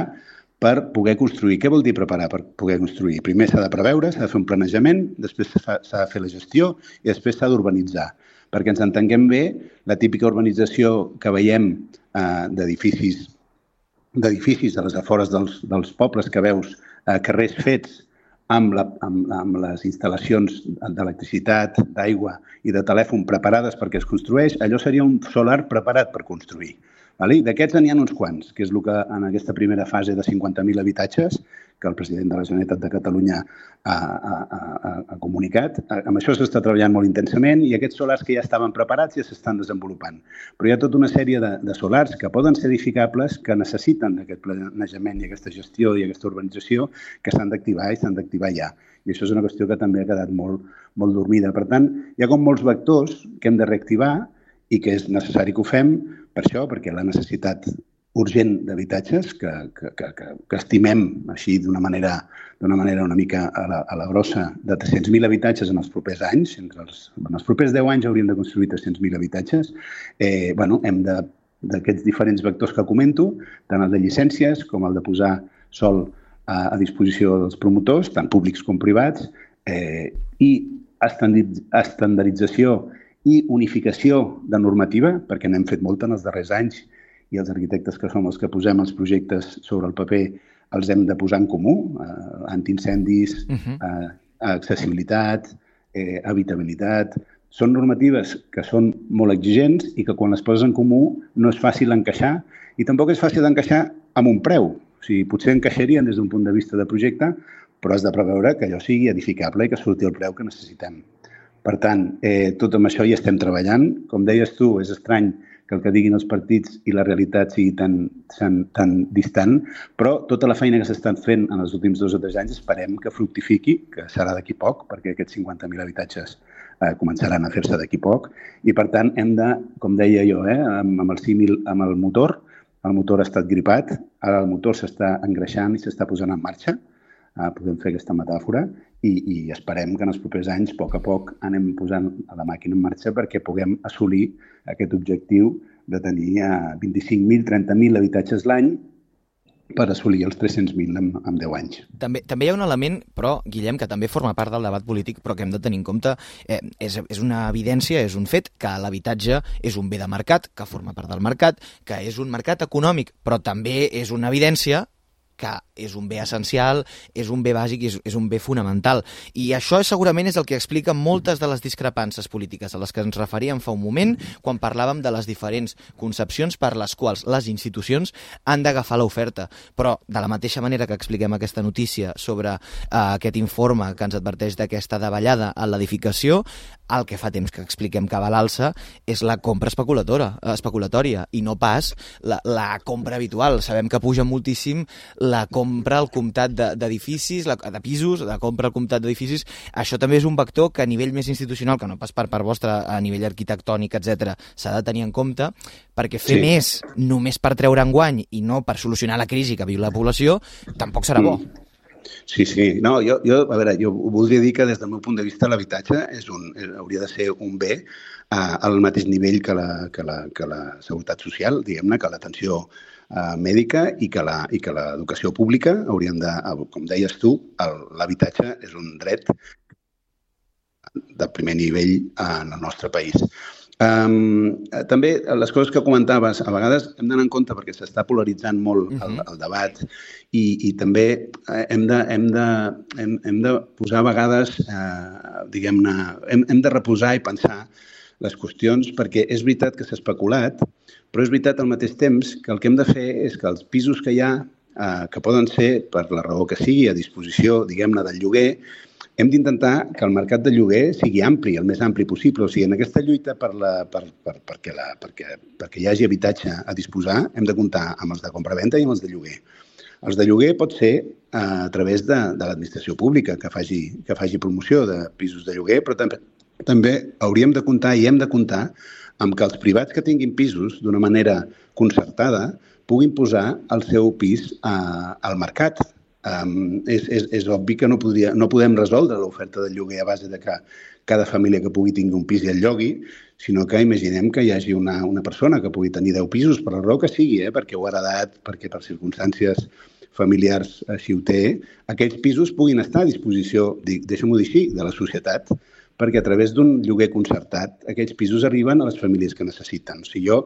per poder construir. Què vol dir preparar per poder construir? Primer s'ha de preveure, s'ha de fer un planejament, després s'ha de fer la gestió i després s'ha d'urbanitzar. Perquè ens entenguem bé, la típica urbanització que veiem uh, d'edificis d'edificis a les afores dels, dels pobles, que veus uh, carrers fets amb, la, amb, amb les instal·lacions d'electricitat, d'aigua i de telèfon preparades perquè es construeix, allò seria un solar preparat per construir. D'aquests n'hi ha uns quants, que és el que en aquesta primera fase de cinquanta mil habitatges que el president de la Generalitat de Catalunya ha, ha, ha, ha comunicat. Amb això s'està treballant molt intensament i aquests solars que ja estaven preparats ja s'estan desenvolupant. Però hi ha tota una sèrie de, de solars que poden ser edificables, que necessiten aquest planejament i aquesta gestió i aquesta urbanització, que s'han d'activar i s'han d'activar ja. I això és una qüestió que també ha quedat molt, molt dormida. Per tant, hi ha com molts vectors que hem de reactivar i que és necessari que ho fem per això, perquè la necessitat urgent d'habitatges, que, que, que, que estimem així d'una manera, d'una manera una mica a la, a la grossa de tres-cents mil habitatges en els propers anys, entre els, en els propers deu anys hauríem de construir tres-cents mil habitatges, eh, bueno, hem de, d'aquests diferents vectors que comento, tant el de llicències com el de posar sòl a, a disposició dels promotors, tant públics com privats, eh, i estandardització i unificació de normativa, perquè n'hem fet molta en els darrers anys i els arquitectes que som els que posem els projectes sobre el paper els hem de posar en comú, eh, antiincendis, uh-huh. eh, accessibilitat, eh, habitabilitat. Són normatives que són molt exigents i que quan les poses en comú no és fàcil encaixar i tampoc és fàcil encaixar amb un preu. O sigui, potser encaixarien des d'un punt de vista de projecte, però has de preveure que allò sigui edificable i que surti el preu que necessitem. Per tant, eh, tot amb això hi estem treballant. Com deies tu, és estrany que el que diguin els partits i la realitat sigui tan, tan, tan distant, però tota la feina que s'ha estat fent en els últims dos o tres anys esperem que fructifiqui, que serà d'aquí poc, perquè aquests cinquanta mil habitatges eh, començaran a fer-se d'aquí poc, i per tant hem de, com deia jo, eh, amb, amb el símil, amb el motor, el motor ha estat gripat, ara el motor s'està engreixant i s'està posant en marxa, eh, podem fer aquesta metàfora, i, i esperem que en els propers anys, a poc a poc, anem posant la màquina en marxa perquè puguem assolir aquest objectiu de tenir vint-i-cinc mil, trenta mil habitatges l'any per assolir els tres-cents mil en, en deu anys.
També, també hi ha un element, però, Guillem, que també forma part del debat polític, però que hem de tenir en compte, eh, és, és una evidència, és un fet, que l'habitatge és un bé de mercat, que forma part del mercat, que és un mercat econòmic, però també és una evidència que és un bé essencial, és un bé bàsic i és, és un bé fonamental. I això segurament és el que explica moltes de les discrepàncies polítiques a les que ens referíem fa un moment quan parlàvem de les diferents concepcions per les quals les institucions han d'agafar l'oferta. Però, de la mateixa manera que expliquem aquesta notícia sobre eh, aquest informe que ens adverteix d'aquesta davallada en l'edificació, el que fa temps que expliquem que va a l'alça és la compra especuladora, especulatòria i no pas la, la compra habitual. Sabem que puja moltíssim la compra al comptat d'edificis, de, de pisos, la compra al comptat d'edificis. Això també és un vector que a nivell més institucional, que no pas per part vostra, a nivell arquitectònic, etcètera, s'ha de tenir en compte, perquè fer sí. més només per treure enguany i no per solucionar la crisi que viu la població, tampoc serà bo. Mm.
Sí, sí. No, jo, jo, a veure, jo voldria dir que des del meu punt de vista l'habitatge és un, hauria de ser un bé uh, al mateix nivell que la, que la, que la seguretat social, diguem-ne, que l'atenció uh, mèdica i que la, i que l'educació pública haurien de, com deies tu, l'habitatge és un dret de primer nivell en el nostre país. Um, també les coses que comentaves, a vegades hem d'anar en compte perquè s'està polaritzant molt uh-huh. el, el debat i, i també hem de, hem, de, hem, hem de posar a vegades, eh, diguem-ne, hem, hem de reposar i pensar les qüestions perquè és veritat que s'ha especulat, però és veritat al mateix temps que el que hem de fer és que els pisos que hi ha, eh, que poden ser, per la raó que sigui, a disposició, diguem-ne, del lloguer, hem d'intentar que el mercat de lloguer sigui ampli, el més ampli possible. O sigui, en aquesta lluita per la, per, per, perquè, la, perquè, perquè hi hagi habitatge a disposar, hem de comptar amb els de compravenda i amb els de lloguer. Els de lloguer pot ser a través de, de l'administració pública, que faci, que faci promoció de pisos de lloguer, però també, també hauríem de comptar i hem de comptar amb que els privats que tinguin pisos d'una manera concertada puguin posar el seu pis a, al mercat. Um, és, és, és obvi que no, podria, no podem resoldre l'oferta de lloguer a base de que cada família que pugui tingui un pis i el llogui, sinó que imaginem que hi hagi una, una persona que pugui tenir deu pisos, per la raó que sigui, eh, perquè ho ha heredat, perquè per circumstàncies familiars així ho té, aquells pisos puguin estar a disposició, deixa'm-ho dir així, de la societat, perquè a través d'un lloguer concertat aquests pisos arriben a les famílies que necessiten. O sigui, jo,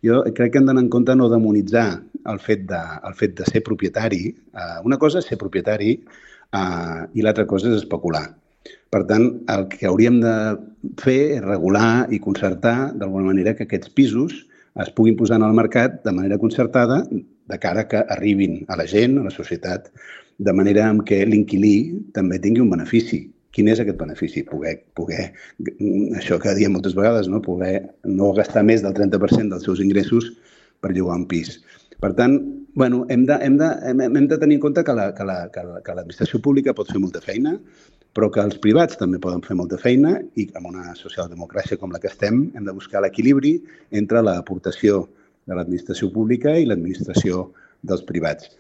jo crec que hem d'anar en compte no demonitzar el fet de, el fet de ser propietari. Uh, una cosa és ser propietari uh, i l'altra cosa és especular. Per tant, el que hauríem de fer és regular i concertar d'alguna manera que aquests pisos es puguin posar en el mercat de manera concertada de cara que arribin a la gent, a la societat, de manera en què l'inquilí també tingui un benefici. Quin és aquest benefici? Poder, poder, això que diem moltes vegades, no? Poder no gastar més del trenta per cent dels seus ingressos per llogar un pis. Per tant, bueno, hem, de, hem, de, hem, hem de tenir en compte que, la, que, la, que, la, que l'administració pública pot fer molta feina, però que els privats també poden fer molta feina i amb una socialdemocràcia com la que estem hem de buscar l'equilibri entre l'aportació de l'administració pública i l'administració dels privats.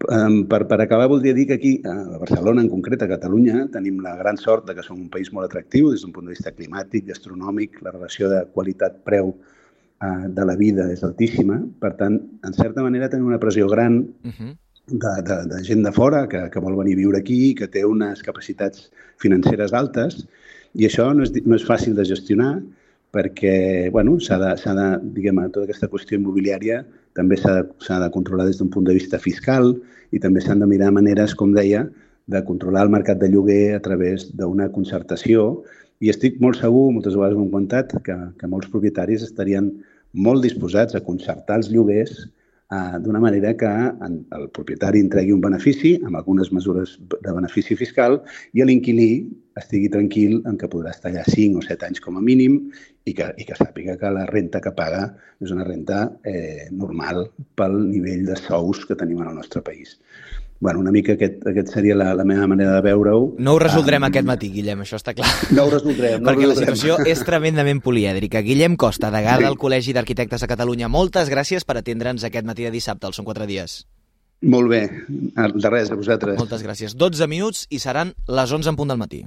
Um, per, per acabar, voldria dir que aquí, a Barcelona, en concret, a Catalunya, tenim la gran sort de que som un país molt atractiu des d'un punt de vista climàtic, gastronòmic, la relació de qualitat-preu uh, de la vida és altíssima. Per tant, en certa manera, tenim una pressió gran uh-huh. de, de, de gent de fora que, que vol venir a viure aquí, que té unes capacitats financeres altes, i això no és, no és fàcil de gestionar perquè, bueno, s'ha de, s'ha de, diguem, tota aquesta qüestió immobiliària també s'ha de, s'ha de controlar des d'un punt de vista fiscal i també s'han de mirar maneres, com deia, de controlar el mercat de lloguer a través d'una concertació i estic molt segur, moltes vegades m'ho han contat, que, que molts propietaris estarien molt disposats a concertar els lloguers eh, d'una manera que en, el propietari entregui un benefici amb algunes mesures de benefici fiscal i l'inquilí estigui tranquil en que podrà estar allà cinc o set anys com a mínim i que, i que sàpiga que la renta que paga és una renta eh, normal pel nivell de sous que tenim en el nostre país. Bueno, una mica aquest, aquest seria la, la meva manera de veure-ho.
No ho resoldrem um, aquest matí, Guillem, això està clar.
No ho resoldrem. No
Perquè
ho resoldrem.
La situació és tremendament polièdrica. Guillem Costa, degà sí. del Col·legi d'Arquitectes a Catalunya, moltes gràcies per atendre'ns aquest matí de dissabte, al Són quatre dies.
Molt bé, de res, a vosaltres.
Moltes gràcies. dotze minuts i seran les onze en punt del matí.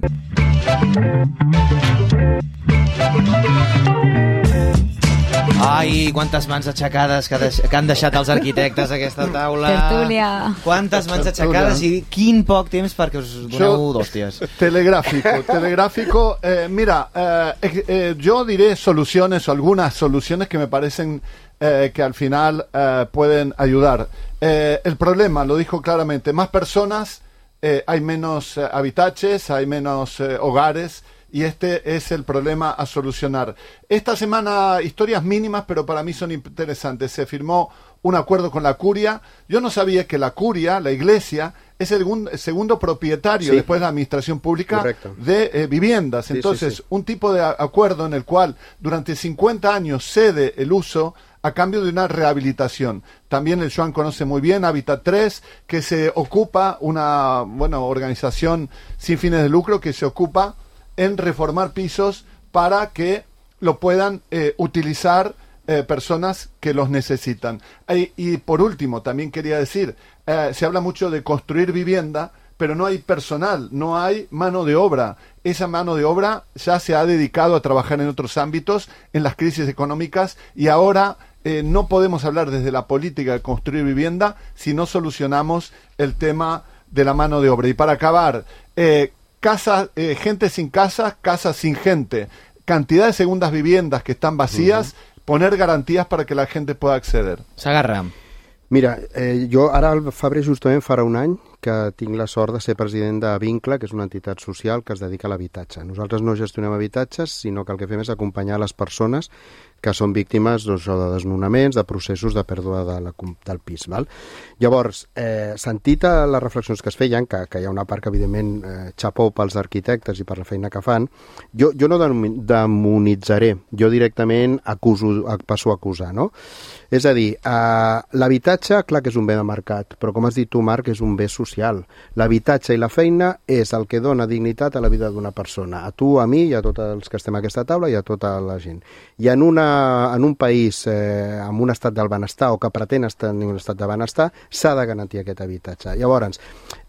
Ai, quantes mans aixecades que, deix... que han deixat els arquitectes a aquesta taula.
Tertúlia.
Quantes mans aixecades i quin poc temps perquè us doneu d'hòsties.
Telegráfico, telegráfico. Eh, mira, eh, eh, yo diré soluciones o algunas soluciones que me parecen eh, que al final eh, pueden ayudar. Eh, el problema, lo dijo claramente, más personas, eh, hay menos eh, habitaches, hay menos eh, hogares, y este es el problema a solucionar. Esta semana, historias mínimas, pero para mí son interesantes. Se firmó un acuerdo con la Curia. Yo no sabía que la Curia, la Iglesia, es el segundo propietario, sí, después de la Administración Pública, correcto, de eh, viviendas. Entonces, sí, sí, sí. un tipo de acuerdo en el cual durante cincuenta años cede el uso a cambio de una rehabilitación. También el Joan conoce muy bien Hábitat tres, que se ocupa, una bueno, organización sin fines de lucro, que se ocupa en reformar pisos para que lo puedan eh, utilizar eh, personas que los necesitan. Y, y por último, también quería decir, eh, se habla mucho de construir vivienda, pero no hay personal, no hay mano de obra. Esa mano de obra ya se ha dedicado a trabajar en otros ámbitos, en las crisis económicas, y ahora eh, no podemos hablar desde la política de construir vivienda si no solucionamos el tema de la mano de obra. Y para acabar, eh, Casa, eh, gente sin casa, casa sin gente. cantidad de segundas viviendas que están vacías, uh-huh. poner garantías para que la gente pueda acceder.
S'agarra.
Mira, eh, jo ara al febrer justament farà un any que tinc la sort de ser president de Vincle, que és una entitat social que es dedica a l'habitatge. Nosaltres no gestionem habitatges, sinó que el que fem és acompanyar les persones que són víctimes doncs, de desnonaments, de processos de pèrdua de la, del pis. Val? Llavors, eh, sentit a les reflexions que es feien, que, que hi ha una part que evidentment eh, xapó pels arquitectes i per la feina que fan, jo, jo no demonitzaré, jo directament acuso, passo a acusar, no? És a dir, eh, l'habitatge, clar que és un bé de mercat, però com has dit tu, Marc, és un bé social. L'habitatge i la feina és el que dona dignitat a la vida d'una persona, a tu, a mi i a tots els que estem a aquesta taula i a tota la gent. I en, una, en un país eh, amb un estat del benestar o que pretén tenir un estat de benestar, s'ha de garantir aquest habitatge. Llavors,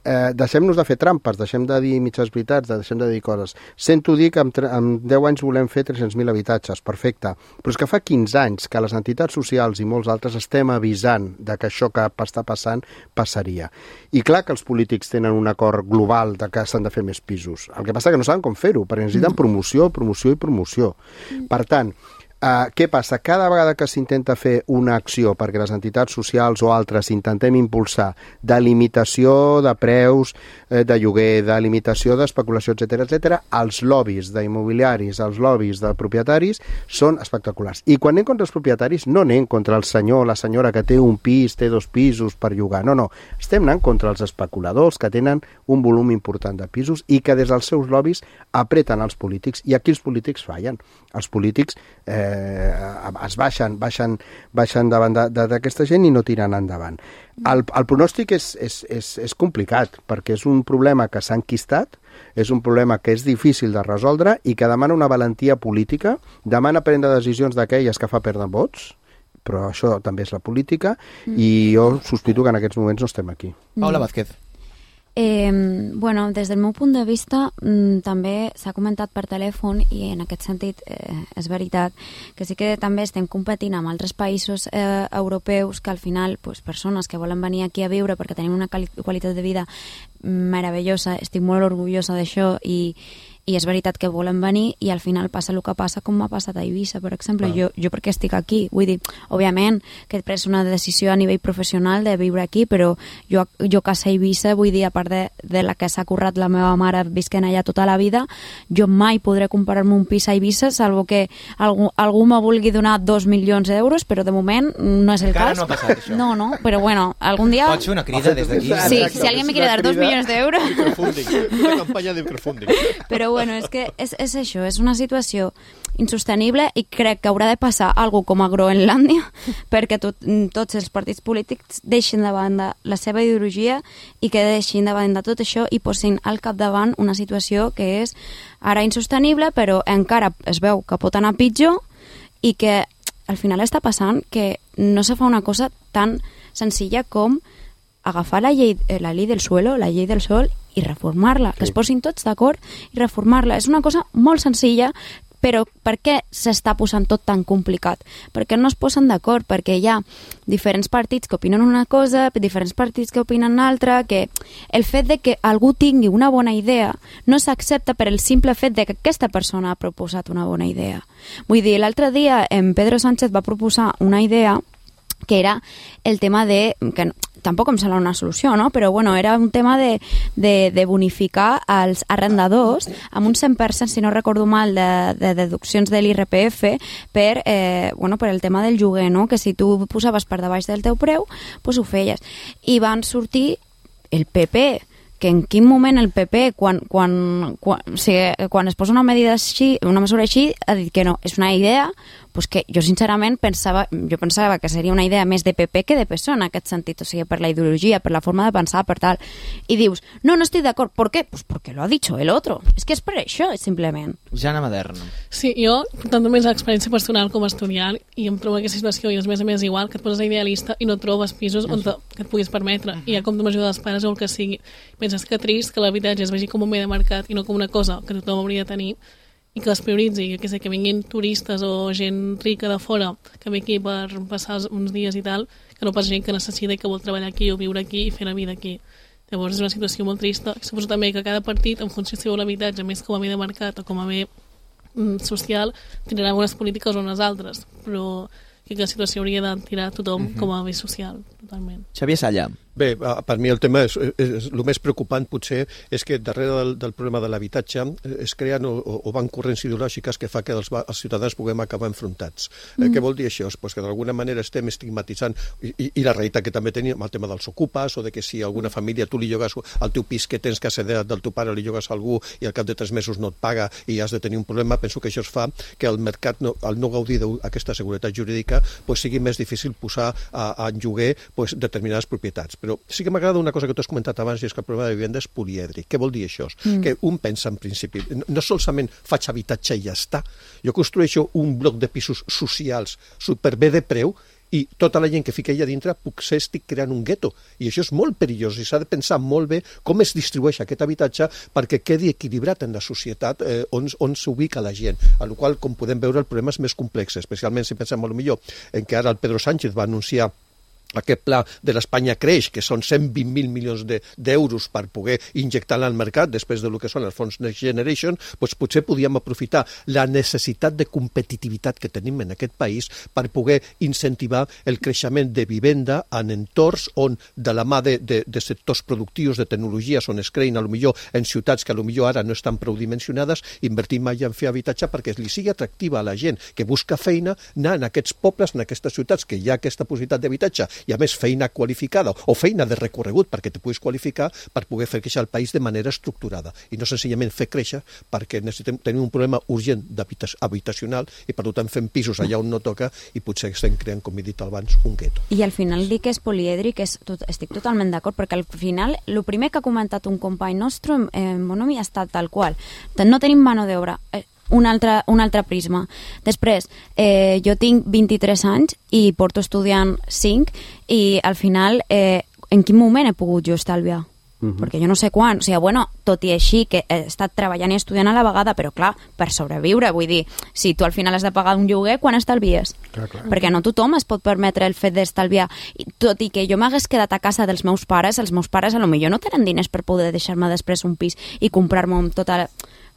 eh, deixem-nos de fer trampes, deixem de dir mitges veritats, deixem de dir coses. Sento dir que en, en deu anys volem fer tres-cents mil habitatges, perfecte, però és que fa quinze anys que les entitats socials i molts altres estem avisant de que això que està passant passaria. I clar que els polítics tenen un acord global de que s'han de fer més pisos. El que passa que no saben com fer-ho, perquè necessiten promoció, promoció i promoció. Per tant, Uh, què passa? Cada vegada que s'intenta fer una acció perquè les entitats socials o altres intentem impulsar de limitació de preus eh, de lloguer, de limitació d'especulació, etcètera, etcètera, els lobbies d'immobiliaris, els lobbies de propietaris són espectaculars. I quan anem contra els propietaris no anem contra el senyor o la senyora que té un pis, té dos pisos per llogar, no, no. Estem anant contra els especuladors que tenen un volum important de pisos i que des dels seus lobbies apreten els polítics, i aquí els polítics fallen. Els polítics eh, es baixen, baixen, baixen davant d'aquesta gent i no tiren endavant. El, el pronòstic és, és, és, és complicat, perquè és un problema que s'ha enquistat, és un problema que és difícil de resoldre i que demana una valentia política, demana prendre decisions d'aquelles que fa perdre vots, però això també és la política, mm. i jo sospito que en aquests moments no estem aquí.
Paula Vázquez.
Eh, bueno, des del meu punt de vista mm, també s'ha comentat per telèfon i en aquest sentit eh, és veritat que sí que també estem competint amb altres països eh, europeus que al final pues, persones que volen venir aquí a viure perquè tenim una quali- qualitat de vida meravellosa, estic molt orgullosa d'això i i és veritat que volen venir i al final passa el que passa com m'ha passat a Eivissa, per exemple. Jo, jo perquè estic aquí, vull dir, òbviament que he pres una decisió a nivell professional de viure aquí, però jo, jo casa a Eivissa, vull dir, a part de, de la que s'ha currat la meva mare visquent allà tota la vida, jo mai podré comprar-me un pis a Eivissa, salvo que algú, algú me vulgui donar dos milions d'euros, però de moment no és el
Encara
cas.
no ha passat això.
No, no, però bueno, algun dia...
Pots fer una crida des d'aquí?
Sí, si alguien me quiere dar dos millones de euros...
Una campanya de microfunding.
Però bueno, és que és, és això, és una situació insostenible i crec que haurà de passar algo com a Groenlàndia perquè tot, tots els partits polítics deixin de banda la seva ideologia i que deixin de banda tot això i posin al capdavant una situació que és ara insostenible però encara es veu que pot anar pitjor i que al final està passant que no se fa una cosa tan senzilla com agafar la llei, la llei del suelo, la llei del sol i reformar-la, sí. Que es posin tots d'acord i reformar-la. És una cosa molt senzilla, però per què s'està posant tot tan complicat? Perquè no es posen d'acord, perquè hi ha diferents partits que opinen una cosa, diferents partits que opinen una altra, que el fet de que algú tingui una bona idea no s'accepta per el simple fet de que aquesta persona ha proposat una bona idea. Vull dir, l'altre dia en Pedro Sánchez va proposar una idea que era el tema de... que tampoc em sembla una solució, no? Però bueno, era un tema de, de, de bonificar els arrendadors amb un cent per cent, si no recordo mal, de, de deduccions de l'I R P F per, eh, bueno, per el tema del lloguer, no? Que si tu posaves per debaix del teu preu, doncs ho feies. I van sortir el P P, que en quin moment el P P, quan, quan, quan, o sigui, quan es posa una medida així, una mesura així, ha dit que no, és una idea, pues que jo sincerament pensava, jo pensava que seria una idea més de P P que de P S O E en aquest sentit, o sigui, per la ideologia, per la forma de pensar, per tal. I dius, no, no estic d'acord, ¿por qué? Pues porque lo ha dicho el otro. És que és per això, simplement.
Jana Maderno.
Sí, jo, tant més l'experiència personal com a estudiant, i em trobo aquesta situació, i és més a més igual, que et poses idealista i no trobes pisos on te, que et puguis permetre. I ja com tu m'ajuda dels pares o el que sigui. Penses que trist que l'habitatge es vegi com un bé de mercat i no com una cosa que tothom hauria de tenir, i que es prioritzi, que sé, que vinguin turistes o gent rica de fora que ve aquí per passar uns dies i tal, que no pas gent que necessita i que vol treballar aquí o viure aquí i fer la vida aquí. Llavors és una situació molt trista. Suposo també que cada partit, en funció si vol l'habitatge més com a bé de mercat o com a bé mm, social tirarà unes polítiques o unes altres, però que la situació hauria de tirar tothom uh-huh. com a bé social, totalment.
Xavier Salla.
Bé, per mi el tema és, és, és el més preocupant potser és que darrere del, del problema de l'habitatge es creen o, o van corrents ideològiques que fa que els, els ciutadans puguem acabar enfrontats. Mm. Eh, què vol dir això? Pues que d'alguna manera estem estigmatitzant i, i, i la realitat que també tenim el tema dels ocupes o de que si alguna família tu li llogues al teu pis que tens que accedir del teu pare li llogues a algú i al cap de tres mesos no et paga i has de tenir un problema, penso que això es fa que el mercat, no, al no gaudir d'aquesta seguretat jurídica, pues sigui més difícil posar a, a en lloguer pues, determinades propietats. Però sí que m'agrada una cosa que tu has comentat abans, i és que el problema de vivenda és polièdric. Què vol dir això? Mm. Que un pensa en principi, no solament faig habitatge i ja està, jo construeixo un bloc de pisos socials superbé de preu i tota la gent que fica allà dintre potser estic creant un gueto. I això és molt perillós i s'ha de pensar molt bé com es distribueix aquest habitatge perquè quedi equilibrat en la societat eh, on, on s'ubica la gent. A la qual, com podem veure, el problema és més complex, especialment si pensem molt millor en que ara el Pedro Sánchez va anunciar aquest pla de l'Espanya Creix, que són cent vint mil milions d'euros per poder injectar-la al mercat després del que són els fons Next Generation, doncs potser podíem aprofitar la necessitat de competitivitat que tenim en aquest país per poder incentivar el creixement de vivenda en entorns on, de la mà de, de, de sectors productius, de tecnologies, on es creïn, potser en ciutats que potser ara no estan prou dimensionades, invertir mai en fer habitatge perquè li sigui atractiva a la gent que busca feina, anar en aquests pobles, en aquestes ciutats que hi ha aquesta possibilitat d'habitatge i a més feina qualificada o feina de recorregut perquè te puguis qualificar per poder fer créixer el país de manera estructurada i no senzillament fer créixer perquè necessitem tenir un problema urgent habitacional i per tant fem pisos allà on no toca i potser estem creant, com he dit abans, un gueto.
I al final dir que és polièdric és tot, estic totalment d'acord perquè al final el primer que ha comentat un company nostre en Bonomi ha estat tal qual. No tenim mano d'obra. Un altre, un altre prisma. Després, eh, jo tinc vint-i-tres anys i porto estudiant cinc i al final, eh, en quin moment he pogut jo estalviar? Uh-huh. Perquè jo no sé quan. O sigui, bueno, tot i així que he estat treballant i estudiant a la vegada, però clar, per sobreviure, vull dir, si tu al final has de pagar un lloguer, quan estalvies? Clar, clar. Perquè no tothom es pot permetre el fet d'estalviar. Tot i que jo m'hagués quedat a casa dels meus pares, els meus pares a lo millor no tenen diners per poder deixar-me després un pis i comprar-me amb tota la...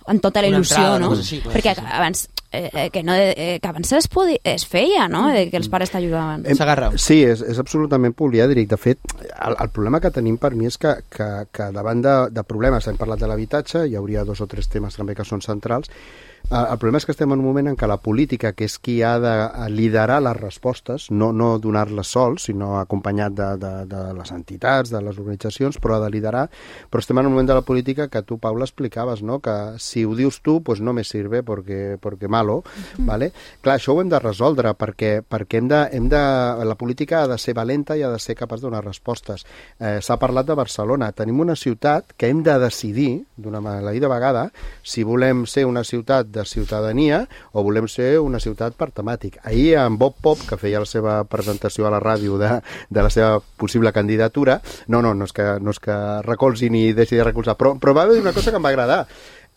en tota la il·lusió, no? Així, perquè sí, sí. abans eh, que, no, eh, que abans es, podia, es feia, no? Eh, que els pares t'ajudaven.
S'agarra.
Sí, és, és absolutament polièdric. De fet, el, el problema que tenim per mi és que, que, que davant de, de problemes, hem parlat de l'habitatge, hi hauria dos o tres temes també que són centrals. El problema és que estem en un moment en què la política, que és qui ha de liderar les respostes, no, no donar-les sols, sinó acompanyat de, de, de les entitats, de les organitzacions, però ha de liderar. Però estem en un moment de la política que tu, Paula, explicaves, no? Que si ho dius tu, pues no me sirve porque, porque malo. Mm. ¿Vale? Clar, això ho hem de resoldre perquè, perquè hem de, hem de, la política ha de ser valenta i ha de ser capaç de donar respostes. Eh, S'ha parlat de Barcelona. Tenim una ciutat que hem de decidir, d'una maleïda vegada, si volem ser una ciutat de ciutadania o volem ser una ciutat per temàtic. Ahir en Bob Pop, que feia la seva presentació a la ràdio de, de la seva possible candidatura, no, no, no és que, no és que recolzi ni deixi de recolzar, però, però va haver una cosa que em va agradar.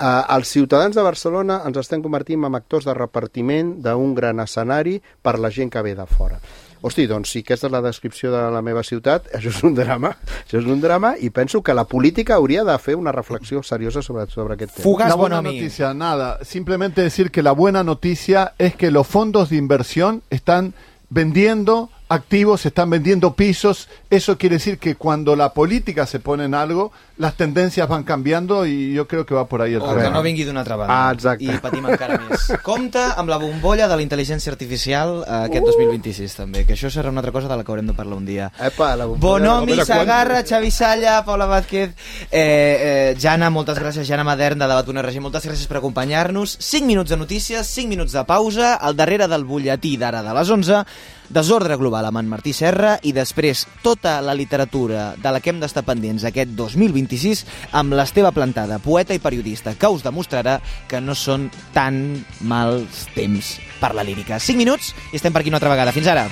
Uh, els ciutadans de Barcelona ens estem convertint en actors de repartiment d'un gran escenari per la gent que ve de fora. Hosti, doncs si aquesta és la descripció de la meva ciutat, això és un drama, això és un drama i penso que la política hauria de fer una reflexió seriosa sobre, sobre aquest tema.
Fugas, buena noticia, nada, simplemente decir que la buena noticia es que los fondos de inversión están vendiendo activos, están vendiendo pisos. Eso quiere decir que cuando la política se pone en algo, las tendencias van cambiando i jo crec que va por ahí el
tema. O que no vingui d'una altra banda.
Ah, exacte.
I patim encara més. Compte amb la bombolla de la intel·ligència artificial eh, aquest uh. dos mil vint-i-sis també, que això serà una altra cosa de la que haurem de parlar un dia.
Epa, la
Bonomi, Sagarra, Xavi Salla, Paula Vázquez, eh, eh, Jana, moltes gràcies, Jana Madern de Debat punt R G, moltes gràcies per acompanyar-nos. cinc minuts de notícies, cinc minuts de pausa, al darrere del butlletí d'ara de les onze, Desordre Global amb en Martí Serra i després tota la literatura de la que hem d'estar pendents aquest dos mil vint-i-sis amb l'Esteve Plantada, poeta i periodista, que us demostrarà que no són tan mals temps per la lírica. cinc minuts i estem per aquí una altra vegada. Fins ara!